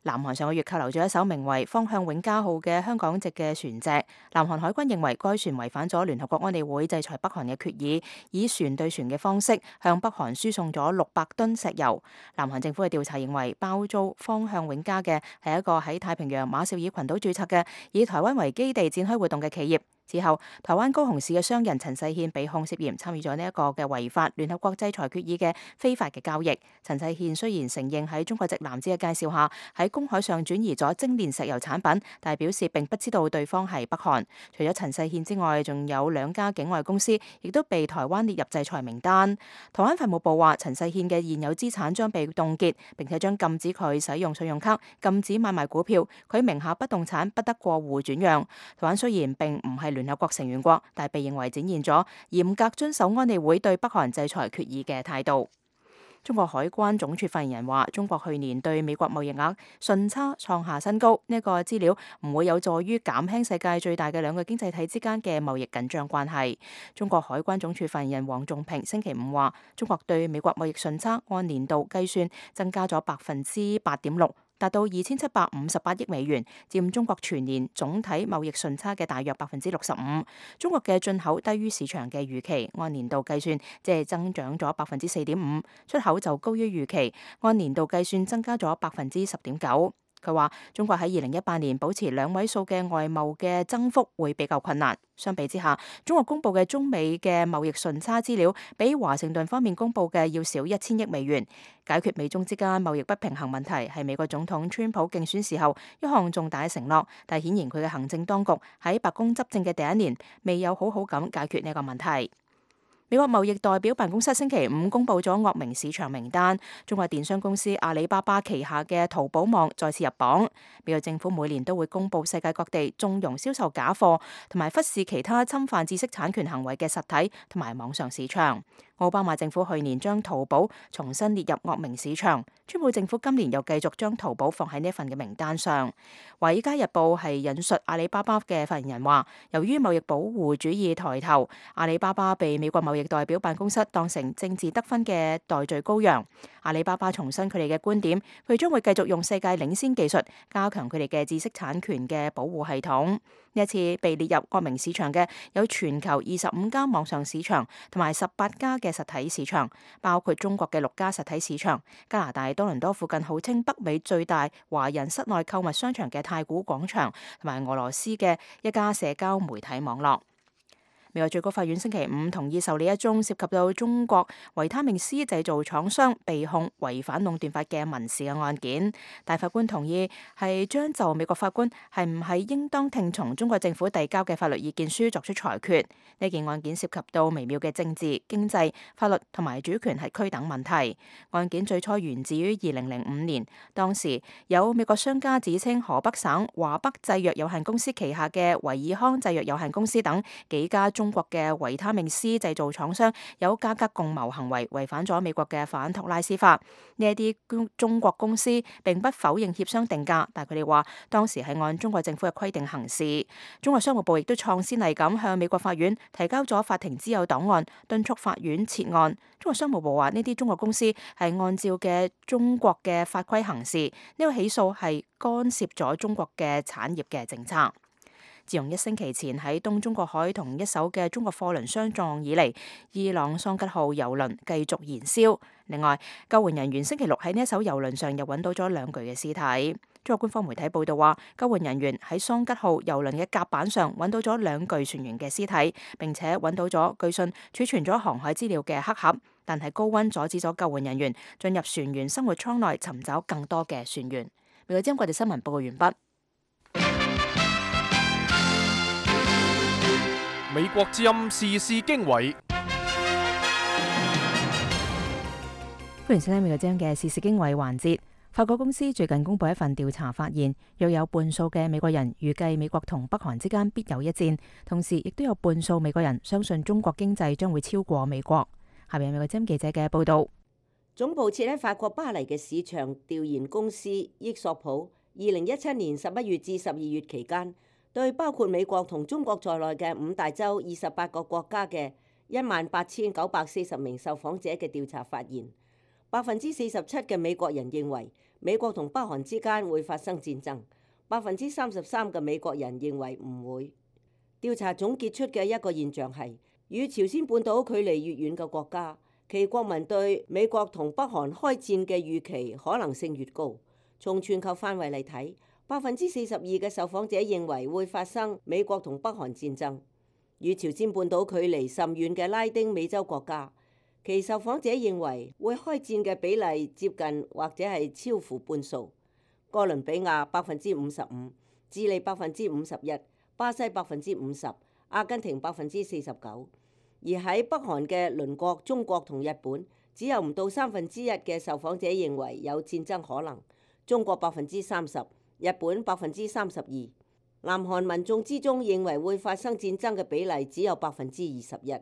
南韓上個月扣留咗一艘名為方向永嘉號嘅香港籍嘅船隻，南韓海軍認為該船違反咗聯合國安理會制裁北韓嘅決議，以船對船嘅方式向北韓輸送咗六百噸石油。南韓政府嘅調查認為，包租方向永嘉嘅係一個喺太平洋馬紹爾群島註冊嘅以台灣為基地展開活動嘅企業。之後，台灣高雄市嘅商人陳世憲被控涉嫌參與咗呢一個嘅違法聯合國制裁決議嘅非法嘅交易。陳世憲雖然承認喺中國籍男子嘅介紹下喺公海上轉移咗精煉石油產品，但係表示並不知道對方係北韓。除咗陳世憲之外，仲有兩家境外公司亦都被台灣列入制裁名單。台灣法務部話，陳世憲嘅現有資產將被凍結，並且將禁止佢使用信用卡，禁止買賣股票，佢名下不動產不得過戶轉讓。台灣雖然並唔係聯合國成員國，但係被認為展現咗嚴格遵守安理會對北韓制裁決議嘅態度。中國海關總署發言人話，中國去年對美國貿易額順差創下新高，呢、這個資料唔會有助於減輕世界最大嘅兩個經濟體之間嘅貿易緊張關係。中國海關總署發言人黃仲平星期五話，中國對美國貿易順差按年度計算增加咗百分之八點六。達到二千七百五十八億美元，佔中國全年總體貿易順差嘅大約百分之六十五。中國嘅進口低於市場嘅預期，按年度計算即係增長咗百分之四點五，出口就高於預期，按年度計算增加咗百分之十點九。佢話中國喺二零一八年保持兩位數嘅外貿嘅增幅會比較困難。相比之下，中國公布嘅中美嘅貿易順差資料比華盛頓方面公布嘅要少一千億美元。解決美中之間貿易不平衡問題係美國總統川普競選時候一項重大嘅承諾，但顯然佢嘅行政當局喺白宮執政嘅第一年未有好好咁解決呢個問題。美國貿易代表辦公室星期五公布咗惡名市場名單，中國電商公司阿里巴巴旗下嘅淘寶網再次入榜。美國政府每年都會公布世界各地縱容銷售假貨同埋忽視其他侵犯知識產權行為嘅實體同埋網上市場。奧巴馬政府去年將淘寶重新列入惡名市場，川普政府今年又繼續將淘寶放喺呢份嘅名單上。華爾街日報係引述阿里巴巴嘅發言人話，由於貿易保護主義抬頭，阿里巴巴被美國貿易代表辦公室當成政治得分嘅代罪羔羊。阿里巴巴重申佢哋嘅觀點，佢哋將會繼續用世界領先技術加強佢哋嘅知識產權嘅保護系統。呢一次被列入惡名市場嘅有全球二十五家網上市場同埋十八家嘅實體市場，包括中國嘅六家實體市場、加拿大多倫多附近號稱北美最大華人室內購物商場嘅太古廣場，同埋俄羅斯嘅一家社交媒體網絡。美國最高法院星期五同意受理一宗涉及到中國維他命 C 製造廠商被控違反壟斷法嘅民事嘅案件。大法官同意係將就美國法官係唔係應當聽從中國政府遞交嘅法律意見書作出裁決。呢件案件涉及到微妙嘅政治、經濟、法律同埋主權係區等問題。案件最初源自於二零零五年，當時有美國商家指稱河北省華北製藥有限公司旗下嘅維爾康製藥有限公司等幾家中中國嘅維他命 C 製造廠商有價格共謀行為，違反咗美國嘅反托拉斯法。呢一啲中國公司並不否認協商定價，但佢哋話當時係按中國政府嘅規定行事。中國商務部亦都創先例咁向美國法院提交咗法庭之友檔案，敦促法院撤案。中國商務部話呢啲中國公司係按照嘅中國嘅法規行事，呢個起訴係干涉咗中國嘅產業嘅政策。自從一星期前喺東中國海同一艘嘅中國貨輪相撞以嚟，伊朗桑吉號郵輪繼續燃燒。另外，救援人員星期六喺呢一艘郵輪上又揾到咗兩具嘅屍體。中國官方媒體報道話，救援人員喺桑吉號郵輪嘅甲板上揾到咗兩具船員嘅屍體，並且揾到咗據信儲存咗航海資料嘅黑盒，但係高溫阻止咗救援人員進入船員生活艙內尋找更多嘅船員。美國之音國際新聞報告完畢。美國之音時事經緯，歡迎收聽美國之音嘅時事經緯環節。法國公司最近公布一份調查，發現約有半數嘅美國人預計美國同北韓之間必有一戰，同時亦都有半數美國人相信中國經濟將會超過美國。下邊係美國之音記者嘅報道。總部設喺法國巴黎嘅市場調研公司益索普，二零一七年十一月至十二月期間，對包括美國同中國在內嘅五大洲二十八個國家嘅一萬八千九百四十名受訪者嘅調查發現，百分之四十七嘅美國人認為美國同北韓之間會發生戰爭，百分之三十三嘅美國人認為唔會。調查總結出嘅一個現象係，與朝鮮半島距離越遠嘅國家，其國民對美國同北韓開戰嘅預期可能性越高。從全球範圍嚟睇，百分之四十二嘅受訪者認為會發生美國同北韓戰爭。與朝鮮半島距離甚遠嘅拉丁美洲國家，其受訪者認為會開戰嘅比例接近或者係超乎半數。哥倫比亞百分之五十五，智利百分之五十一，巴西百分之五十，阿根廷百分之四十九。而喺北韓嘅鄰國中國同日本，只有唔到三分之一嘅受訪者認為有戰爭可能。中國百分之三十，日本百分之三十二。南韓民眾之中認為會發生戰爭嘅比例只有百分之二十一。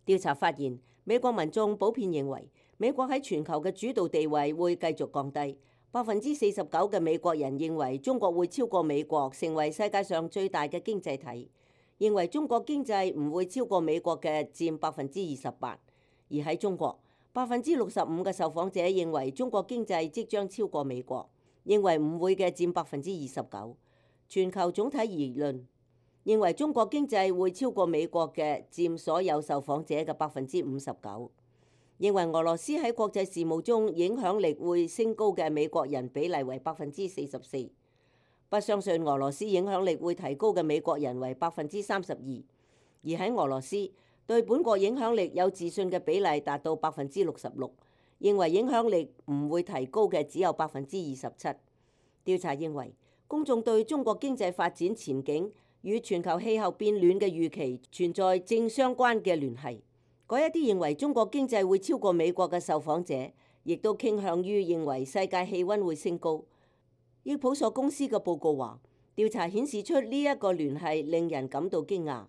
調查發現，美國民眾普遍認為美國喺全球嘅主導地位會繼續降低。百分之四十九嘅美國人認為中國會超過美國成為世界上最大嘅經濟體，認為中國經濟唔會超過美國嘅佔百分之二十八。而喺中國，百分之六十五嘅受訪者認為中國經濟即將超過美國，認為唔會嘅佔百分之二十九。全球總體而論，認為中國經濟會超過美國嘅佔所有受訪者嘅百分之五十九。認為俄羅斯喺國際事務中影響力會升高嘅美國人比例為百分之四十四。不相信俄羅斯影響力會提高嘅美國人為百分之三十二。而喺俄羅斯，對本國影響力有自信嘅比例達到百分之六十六。認為影響力唔會提高嘅只有百分之二十七。調查認為，公眾對中國經濟發展前景與全球氣候變暖嘅預期存在正相關嘅聯繫。嗰一啲認為中國經濟會超過美國嘅受訪者，亦都傾向於認為世界氣溫會升高。益普索公司嘅報告話，調查顯示出呢一個聯繫令人感到驚訝。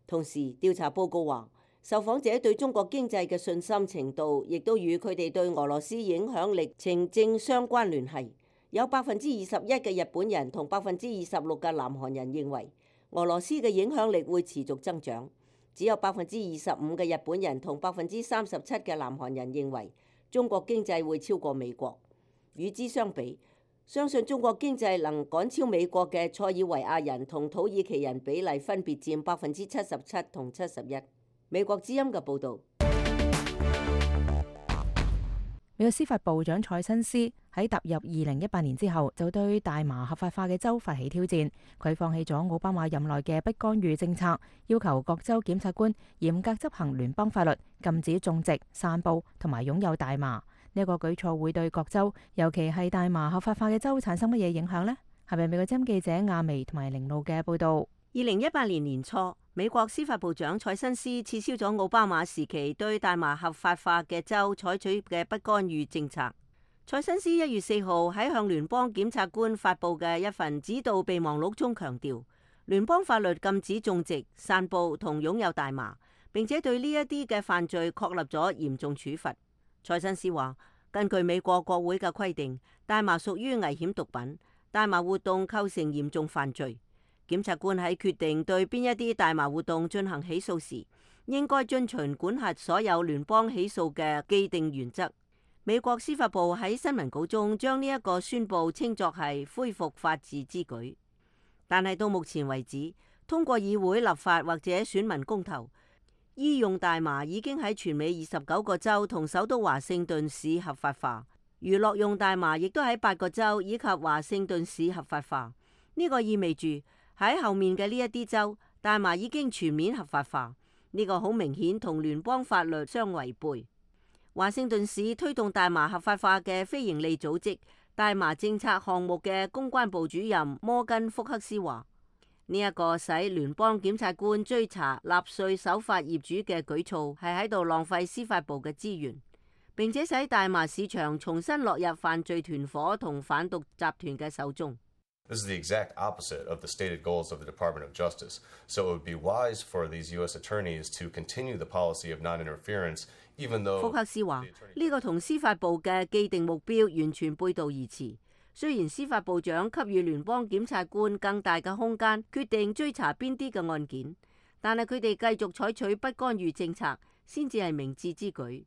同時，調查報告話，受訪者對中國經濟嘅信心程度，亦都與佢哋對俄羅斯影響力呈正相關聯繫。有百分之二十一嘅日本人同百分之二十六嘅南韓人認為俄羅斯嘅影響力會持續增長，只有百分之二十五嘅日本人同百分之三十七嘅南韓人認為中國經濟會超過美國。與之相比，相信中國經濟能趕超美國嘅塞爾維亞人同土耳其人比例分別佔百分之七十七同七十一。美國之音嘅報導。美國司法部長蔡新斯喺踏入二零一八年之後，就對大麻合法化嘅州發起挑戰。佢放棄咗奧巴馬任內嘅不干預政策，要求各州檢察官嚴格執行聯邦法律，禁止種植、散佈同埋擁有大麻。呢一個舉措會對各州，尤其係大麻合法化嘅州產生乜嘢影響呢？係咪美國之音記者亞薇同埋凌路嘅報導？二零一八年年初，美國司法部長蔡新斯撤銷咗奧巴馬時期對大麻合法化嘅州採取嘅不干預政策。蔡新斯一月四號喺向聯邦檢察官發布嘅一份指導備忘錄中強調，聯邦法律禁止種植、散布同擁有大麻，並且對呢一啲嘅犯罪確立咗嚴重處罰。塞申斯話，根據美國國會嘅規定，大麻屬於危險毒品，大麻活動構成嚴重犯罪。檢察官喺決定對邊一啲大麻活動進行起訴時，應該遵循管轄所有聯邦起訴嘅既定原則。美國司法部喺新聞稿中將呢一個宣佈稱作係恢復法治之舉。但係到目前為止，通過議會立法或者選民公投，醫用大麻已經喺全美二十九個州同首都華盛頓市合法化，娛樂用大麻亦都喺八個州以及華盛頓市合法化。呢、這個意味住喺後面嘅呢一啲州，大麻已經全面合法化。呢、這個好明顯同聯邦法律相違背。華盛頓市推動大麻合法化嘅非營利組織大麻政策項目嘅公關部主任摩根福克斯話：呢一個使聯邦檢察官追查納稅守法業主嘅舉措係喺度浪費司法部嘅資源，並且使大麻市場重新落入犯罪團伙同販毒集團嘅手中。This is the exact opposite of the stated goals of the Department of Justice. So it would be wise for these U S attorneys to continue the policy of non-interference, even though 福克斯話呢個同司法部嘅既定目標完全背道而馳。雖然司法部長給予聯邦檢察官更大嘅空間決定追查邊啲嘅案件，但係佢哋繼續採取不干預政策先至係明智之舉。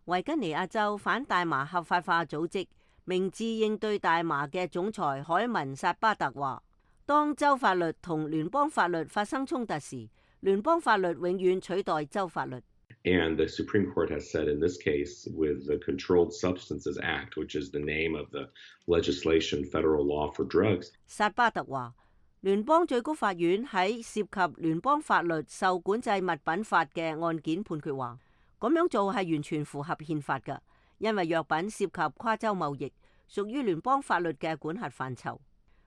維吉尼亞州反大麻合法化組織明智應對大麻嘅總裁海文薩巴特話：當州法律同聯邦法律發生衝突時，聯邦法律永遠取代州法律。And the Supreme Court has said in this case, with the Controlled Substances Act, which is the name of the legislation, federal law for drugs. 薩巴特話，聯邦最高法院喺涉及聯邦法律受管制物品法嘅案件判決話，咁樣做係完全符合憲法㗎，因為藥品涉及跨州貿易，屬於聯邦法律嘅管轄範疇。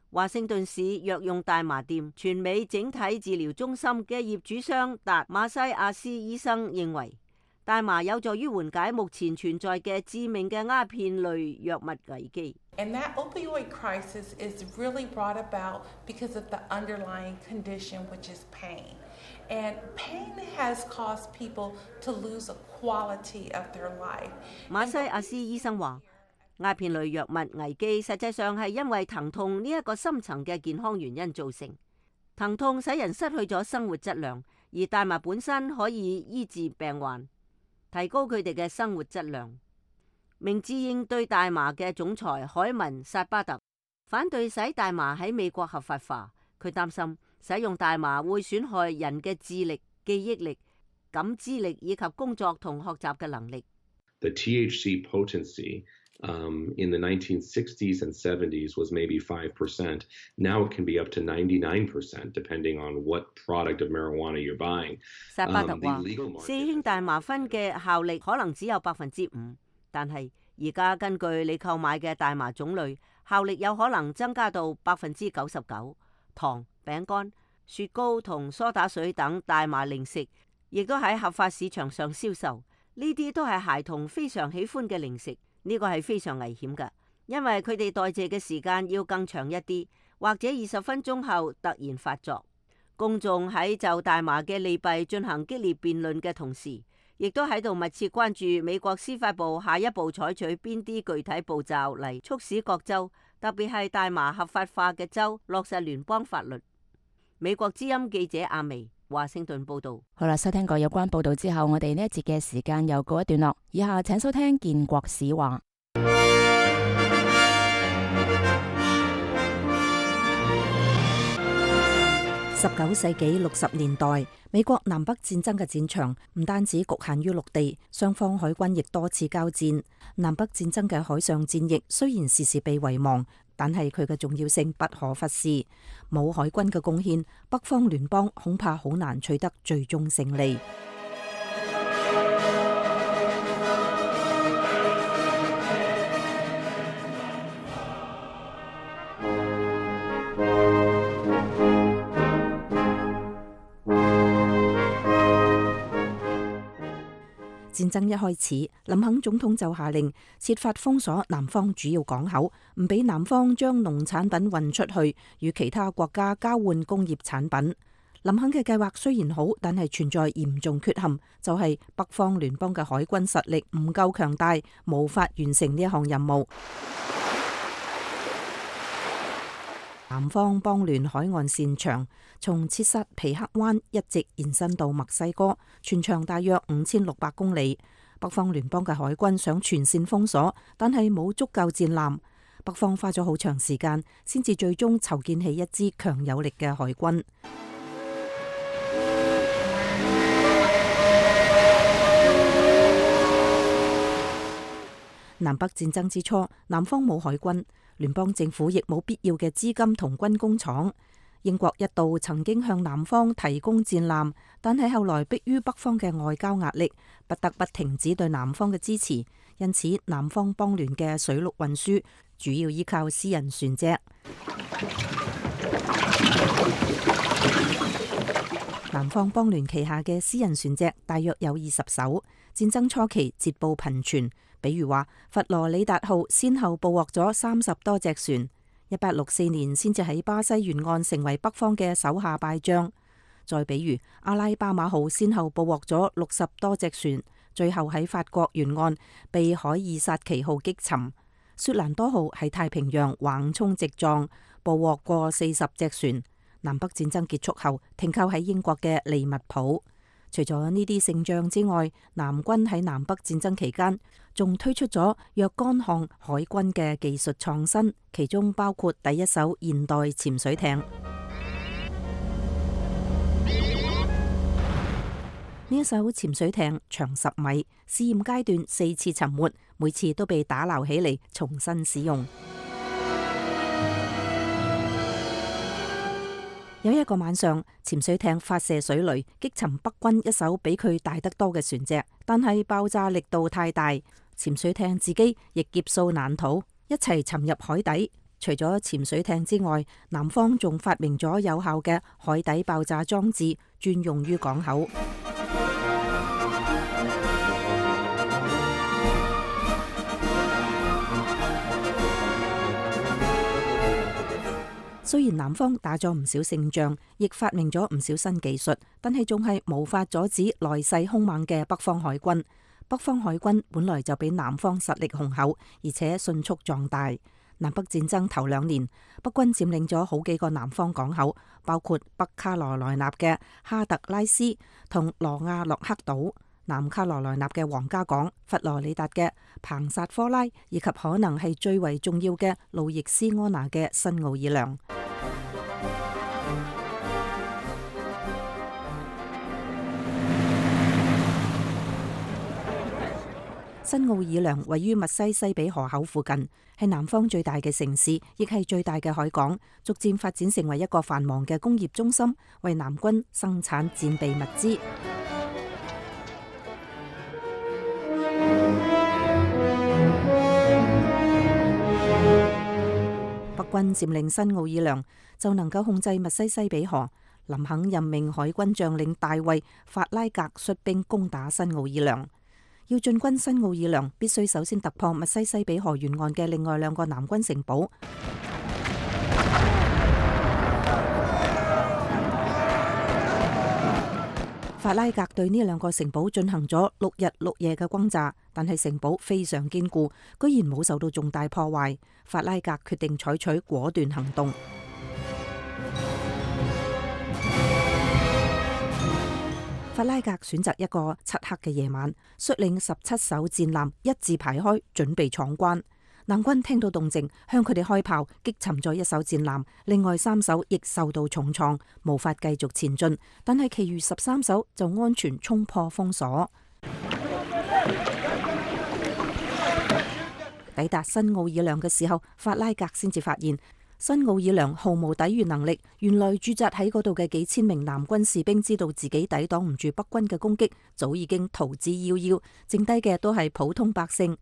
華盛頓市藥用大麻店全美整體治療中心嘅業主商達馬西亞斯醫生認為，大麻有助於緩解目前存在嘅致命嘅鴉片類藥物危機。And that opioid crisis is really brought about because of the underlying condition, which is pain. And pain has caused people to lose a quality of their life. 馬西亞斯醫生話，鴉片類藥物危機實際上係因為疼痛呢一個深層嘅健康原因造成。疼痛使人失去咗生活質量，而大麻本身可以醫治病患，提高佢哋嘅生活質量。明智應對大麻嘅總裁海文薩巴特反對使大麻喺美國合法化，佢擔心使用大麻會損害人嘅智力、記憶力、感知力以及工作同學習嘅能力。The T H C potency Um, in the nineteen sixties and seventies was maybe five percent. Now it can be up to ninety-nine percent, depending on what product of marijuana you're buying. 薩巴特話，四氫大麻酚嘅效力可能只有百分之五，但係而家根據你購買嘅大麻種類，效力有可能增加到百分之九十九。糖、餅乾、雪糕同梳打水等大麻零食，亦都喺合法市場上銷售。呢啲都係孩童非常喜歡嘅零食。呢個係非常危險㗎，因為佢哋代謝嘅時間要更長一啲，或者二十分鐘後突然發作。公眾喺就大麻嘅利弊進行激烈辯論嘅同時，亦都喺度密切關注美國司法部下一步採取邊啲具體步驟嚟促使各州，特別係大麻合法化嘅州落實聯邦法律。美國之音記者阿薇，華盛頓報道。好啦，收聽過有關報道之後，我哋呢一節嘅時間又告一段落。以下請收聽建國史話。十九世紀六十年代，美國南北戰爭嘅戰場唔單止局限於陸地，雙方海軍亦多次交戰。南北戰爭嘅海上戰役雖然時時被遺忘，但係佢嘅重要性不可忽視。冇海軍嘅貢獻，北方聯邦恐怕好難取得最終勝利。戰爭一開始，林肯總統就下令設法封鎖南方主要港口，唔俾南方將農產品運出去，與其他國家交換工業產品。林肯嘅計劃雖然好，但係存在嚴重缺陷，就係北方聯邦嘅海軍實力唔夠強大，無法完成呢一項任務。南方邦聯海岸線長，從切薩皮克灣一直延伸到墨西哥，全長大約五千六百公里。北方聯邦嘅海軍想全線封鎖，但係冇足夠戰艦。北方花咗好長時間，先至最終籌建起一支強有力嘅海軍。南北戰爭之初，南方冇海軍，聯邦政府亦冇必要嘅資金同軍工廠。英國一度曾經向南方提供戰艦，但係後來迫於北方嘅外交壓力，不得不停止對南方嘅支持。因此，南方邦聯嘅水陸運輸主要依靠私人船隻。南方邦聯旗下嘅私人船隻大約有二十艘，戰爭初期捷報頻傳。比如話，佛羅里達號先後捕獲咗三十多隻船，一八六四年先至喺巴西沿岸成為北方嘅手下敗將。再比如，阿拉巴馬號先後捕獲咗六十多隻船，最後喺法國沿岸被海爾薩奇號擊沉。雪蘭多號喺太平洋橫衝直撞，捕獲過四十隻船。南北戰爭結束後，停靠喺英國嘅利物浦。除咗呢啲勝仗之外，南軍喺南北戰爭期間仲推出咗若干項海軍嘅技術創新，其中包括第一艘現代潛水艇。呢一艘潛水艇長十米，試驗階段四次沉沒，每次都被打撈起嚟重新使用。有一個晚上，潛水艇發射水雷，擊沉北軍一艘比佢大得多嘅船隻，但係爆炸力度太大，潛水艇自己亦劫數難逃，一齊沉入海底。除咗潛水艇之外，南方仲發明咗有效嘅海底爆炸裝置，專用於港口。雖然南方打咗唔少勝仗，亦發明咗唔少新技術，但係仲係無法阻止來勢兇猛嘅北方海軍。北方海軍本來就比南方實力雄厚，而且迅速壯大。南北戰爭頭兩年，北軍佔領咗好幾個南方港口，包括北卡羅來納嘅哈特拉斯同羅亞洛克島，南卡羅來納嘅皇家港、佛羅里達嘅彭薩科拉，以及可能係最為重要嘅路易斯安那嘅新奧爾良。新奧爾良位於密西西比河口附近，係南方最大嘅城市，亦係最大嘅海港，逐漸發展成為一個繁忙嘅工業中心，為南軍生產戰備物資。北軍佔領新奧爾良，就能夠控制密西西比河。林肯任命海軍將領大衛·法拉格率兵攻打新奧爾良。要進軍新奧爾良，必須首先突破密西西比河沿岸嘅另外兩個南軍城堡。法拉格對呢兩個城堡進行咗六日六夜嘅轟炸，但係城堡非常堅固，居然冇受到重大破壞。法拉格決定採取果斷行動。法拉格選擇一個漆黑嘅夜晚，率領十七艘戰艦一字排開，準備闖關。南軍聽到動靜，向佢哋開炮，擊沉咗一艘戰艦，另外三艘亦受到重創，無法繼續前進。但係其餘十三艘就安全衝破封鎖。抵達新奧爾良嘅時候，法拉格先至發現新奧爾良毫無抵禦能力。原來駐紮喺嗰度嘅幾千名南軍士兵知道自己抵擋唔住北軍嘅攻擊，早已經逃之夭夭，剩低嘅都係普通百姓。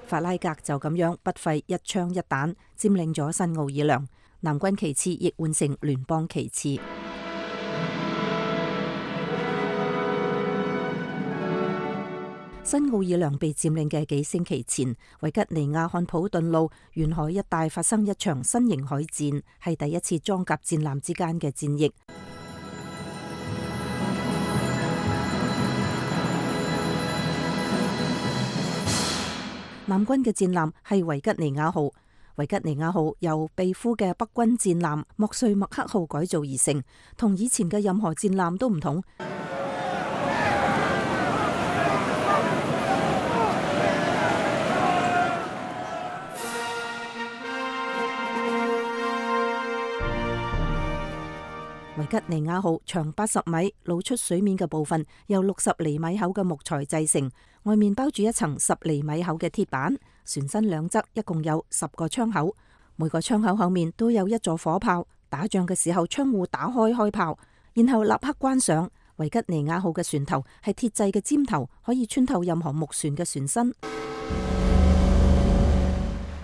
法法拉格就咁樣不費一槍一彈佔領咗新奧爾良，南軍旗幟亦換成聯邦旗幟。新奧爾良被佔領嘅幾星期前，維吉尼亞漢普頓路沿海一帶發生一場新型海戰，係第一次裝甲戰艦之間嘅戰役。南軍嘅戰艦係維吉尼亞號，維吉尼亞號由被俘嘅北軍戰艦莫瑞麥克號改造而成，同以前嘅任何戰艦都唔同。維吉尼亞號長八十米，露出水面嘅部分由六十厘米厚嘅木材製成，外面包住一層十厘米厚嘅鐵板。船身兩側一共有十個窗口，每個窗口後面都有一座火炮。打仗嘅時候，窗戶打開開炮，然後立刻關上。維吉尼亞號嘅船頭係鐵製嘅尖頭，可以穿透任何木船嘅船身。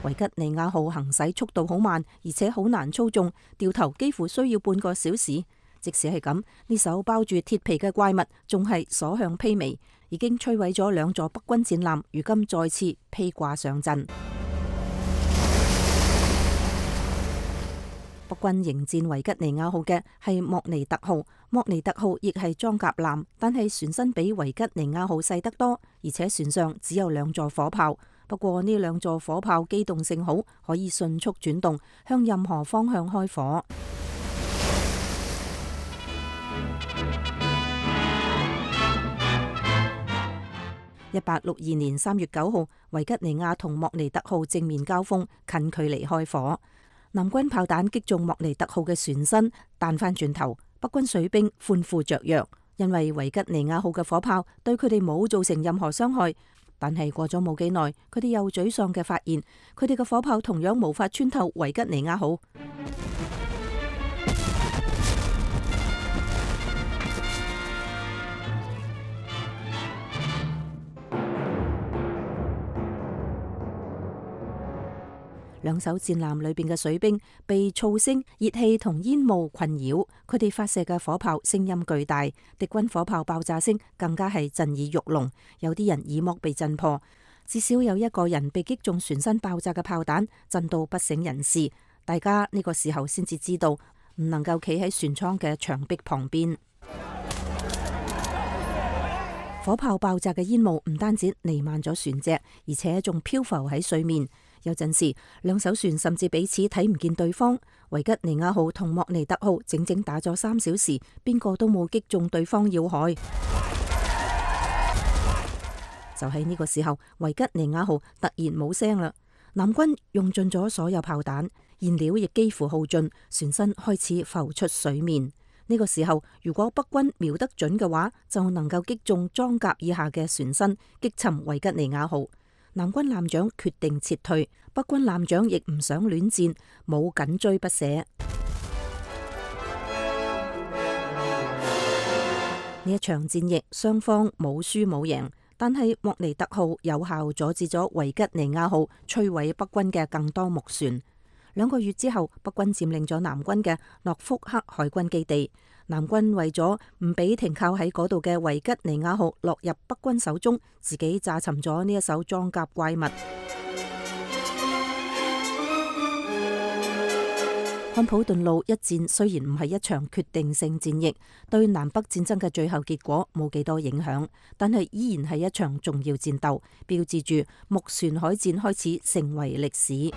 維吉尼亞號行駛速度好慢，而且好難操縱，掉頭幾乎需要半個小時。即使係咁，呢艘包住鐵皮嘅怪物仲係所向披靡，已經摧毀咗兩座北軍戰艦，如今再次披掛上陣。北軍迎戰維吉尼亞號嘅係莫尼特號，莫尼特號亦係裝甲艦，但係船身比維吉尼亞號細得多，而且船上只有兩座火炮。不過呢兩座火炮機動性好，可以迅速轉動，向任何方向開火。一八六二年三月九號，維吉尼亞同莫尼特號正面交鋒，近距離開火。南軍炮彈擊中莫尼特號嘅船身，彈翻轉頭，北軍水兵歡呼雀躍，因為維吉尼亞號嘅火炮對佢哋冇造成任何傷害。但係過咗冇幾耐，佢哋又沮喪嘅發現，佢哋嘅火炮同樣無法穿透維吉尼亞號。兩艘戰艦裏邊嘅水兵被噪聲、熱氣同煙霧困擾，佢哋發射嘅火炮聲音巨大，敵軍火炮爆炸聲更加係震耳欲聾，有啲人耳膜被震破，至少有一個人被擊中船身爆炸嘅炮彈，震到不省人事。大家呢個時候先至知道，唔能夠企喺船艙嘅牆壁旁邊。火炮爆炸嘅煙霧唔單止彌漫咗船隻，而且仲漂浮喺水面。有陣時，兩艘船甚至彼此睇唔見對方。維吉尼亞號同莫尼特號整整打咗三小時，邊個都冇擊中對方要害。就喺呢個時候，維吉尼亞號突然冇聲啦。南軍用盡咗所有炮彈，燃料亦幾乎耗盡，船身開始浮出水面。呢個時候，如果北軍瞄得準嘅話，就能夠擊中裝甲以下嘅船身，擊沉維吉尼亞號。南軍艦長決定撤退，北軍艦長亦唔想戀戰，冇緊追不捨。呢一場戰役，雙方冇輸冇贏，但係莫尼特號有效阻止咗維吉尼亞號摧毀北軍嘅更多木船。兩個月之後，北軍佔領咗南軍嘅諾福克海軍基地。南軍為咗唔俾停靠喺嗰度嘅維吉尼亞號落入北軍手中，自己炸沉咗呢一艘裝甲怪物。漢普頓路一戰雖然唔係一場決定性戰役，對南北戰爭嘅最後結果冇幾多影響，但係依然係一場重要戰鬥，標誌住木船海戰開始成為歷史。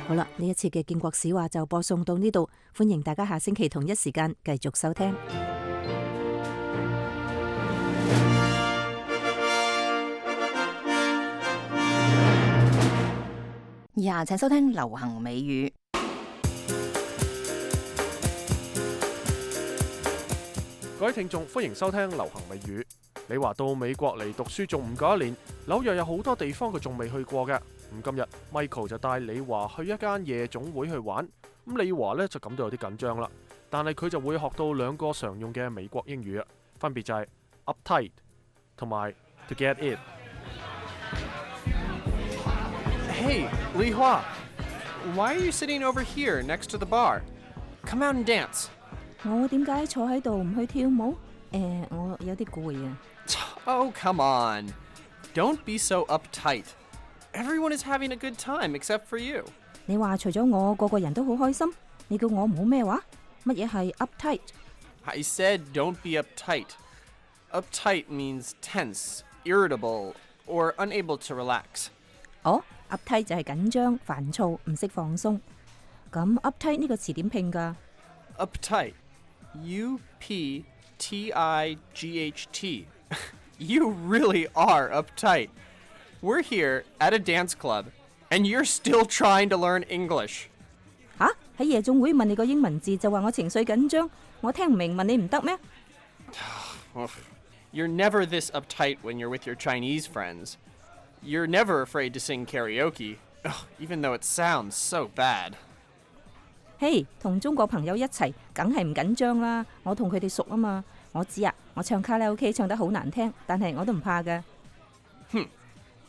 好啦，呢一次嘅建國史話就播送到呢度，歡迎大家下星期同一時間繼續收聽。以下請收聽流行美語。各位聽眾，歡迎收聽流行美語。你話到美國嚟讀書仲唔夠一年，紐約有好多地方佢仲未去過嘅。咁今日 Michael 就帶李華去一間夜總會去玩，咁李華呢就感到有啲緊張啦，但係佢就會學到兩個常用嘅美國英語啊，分別就係 uptight 同埋 to get it。 Hey, Li Hua, why are you sitting over here next to the bar? Come out and dance. 我點解坐喺度唔去跳舞？誒，我有啲攰啊。Oh, come on. Don't be so uptight. Everyone is having a good time except for you. 你話除咗我，個個人都好開心。你叫我唔好咩話？乜嘢係 uptight？ I said don't be uptight. Uptight means tense, irritable, or unable to relax. 哦 ，uptight 就係緊張、煩躁、唔識放鬆。咁 uptight 呢個詞點拼㗎？ Uptight. U P T I G H T. You really are uptight. We're here at a dance club, and you're still trying to learn English. 吓？喺夜總會問你個英文字就話我情緒緊張，我聽唔明問你唔得咩？ You're never this uptight when you're with your Chinese friends. You're never afraid to sing karaoke, even though it sounds so bad. 嘿，同中國朋友一齊，梗係唔緊張啦。我同佢哋熟啊嘛。我知啊，我唱卡拉 OK 唱得好難聽，但係我都唔怕㗎。Hmm.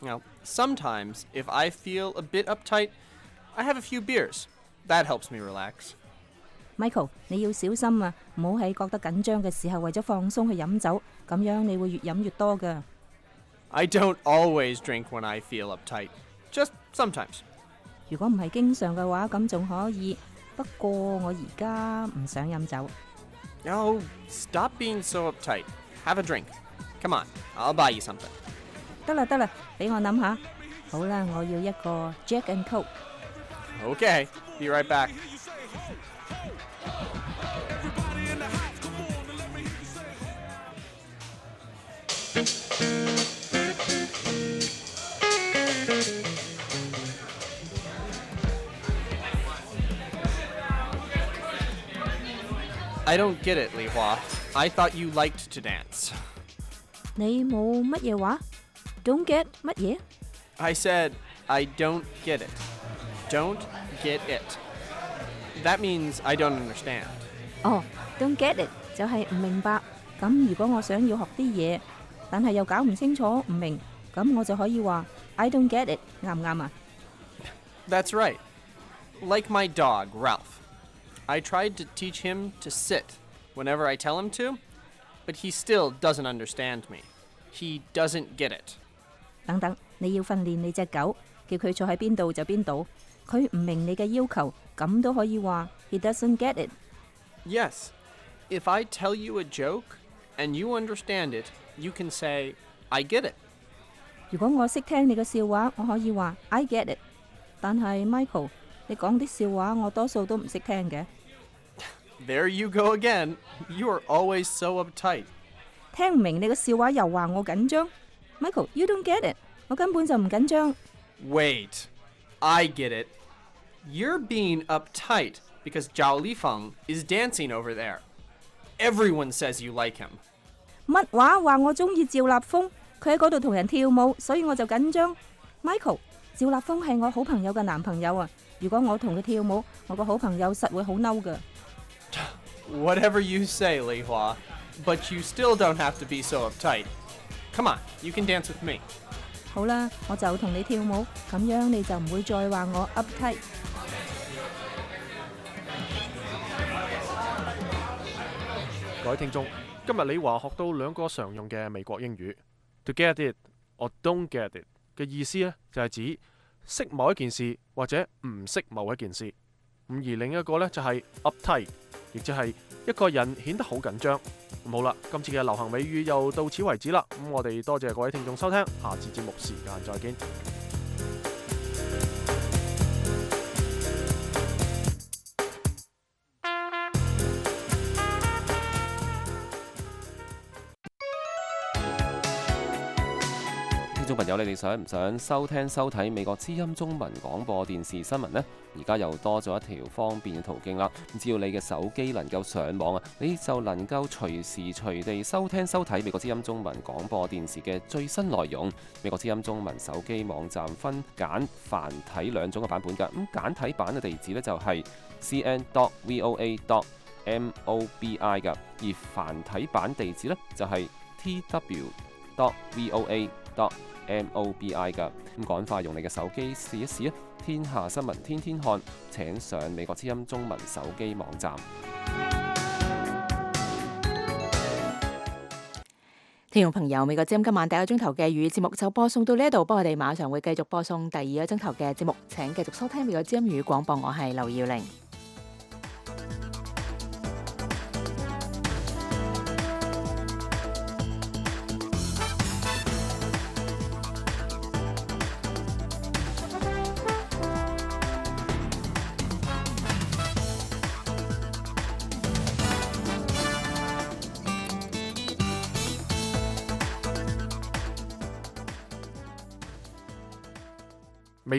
Now, sometimes, if I feel a bit uptight, I have a few beers. That helps me relax. Michael， 你要小心啊，唔好喺覺得緊張嘅時候為咗放鬆去飲酒，咁樣你會越飲越多㗎。I don't always drink when I feel uptight. Just sometimes. 如果唔係經常嘅話，咁仲可以。不過我而家唔想飲酒。Oh, stop being so uptight. Have a drink. Come on, I'll buy you something. 得啦得啦，俾我諗下。好啦，我要一個 Jack and Coke。Okay, be right back. I don't get it, Li Hua. I thought you liked to dance. 你冇乜嘢話 ？Don't get 乜嘢 I said, I don't get it. Don't get it. That means I don't understand. 哦 ，Don't get it 就係唔明白。咁如果我想要學啲嘢，但係又搞唔清楚唔明，咁我就可以話 I don't get it， 啱唔啱啊？ That's right. Like my dog, Ralph. I tried to teach him to sit whenever I tell him to, but he still doesn't understand me. He doesn't get it. 等等，你要訓練你隻狗，叫佢坐喺邊度就邊度。佢唔明你嘅要求，咁都可以話 He doesn't get it. Yes. If I tell you a joke and you understand it, you can say, I get it. 如果我識聽你嘅笑話，我可以話 I get it。但係 Michael， 你講啲笑話我多數都唔識聽嘅。There you go again. You are always so uptight. 聽唔明你嘅笑話又話我緊張。Michael, you don't get it. 我根本就唔緊張。Wait. I get it. You're being uptight because Zhao Lifeng is dancing over there. Everyone says you like him. 乜話話我中意趙立峰？佢喺嗰度同人跳舞，所以我就緊張。Michael， 趙立峰係我好朋友嘅男朋友啊！如果我同佢跳舞，我個好朋友實會好嬲㗎。Whatever you say, Li Hua, but you still don't have to be so uptight. Come on, you can dance with me. 好啦，我就同你跳舞，咁樣你就唔會再話我 uptight。各位聽眾，今日李華學到兩個常用嘅美國英語 ，to get it 或 don't get it 嘅意思呢，就係指識某一件事或者唔識某一件事。咁而另一個呢，就係 uptight， 亦即係一個人顯得好緊張。咁好啦，今次嘅流行美語又到此為止啦。咁我哋多謝各位聽眾收聽，下次節目時間再見。聽眾朋友，你哋想唔想收聽收睇美國之音中文廣播電視新聞呢？而家又多咗一條方便嘅途徑啦。只要你嘅手機能夠上網啊，你就能夠隨時隨地收聽收睇美國之音中文廣播電視嘅最新內容。美國之音中文手機網站分簡繁體兩種嘅版本㗎。咁簡體版嘅地址呢，就係 c n dot voa dot mobi 㗎，而繁體版地址呢，就係 t w dot voa dot mobi 㗎。咁趕快用你嘅手機試一試啊！天下新聞天天看，請上美國之音中文手機網站。聽眾朋友，美國之音今晚第一個鐘頭嘅粵語節目就播送到呢一度，不過我哋馬上會繼續播送第二個鐘頭嘅節目，請繼續收聽美國之音粵語廣播，我係劉耀玲。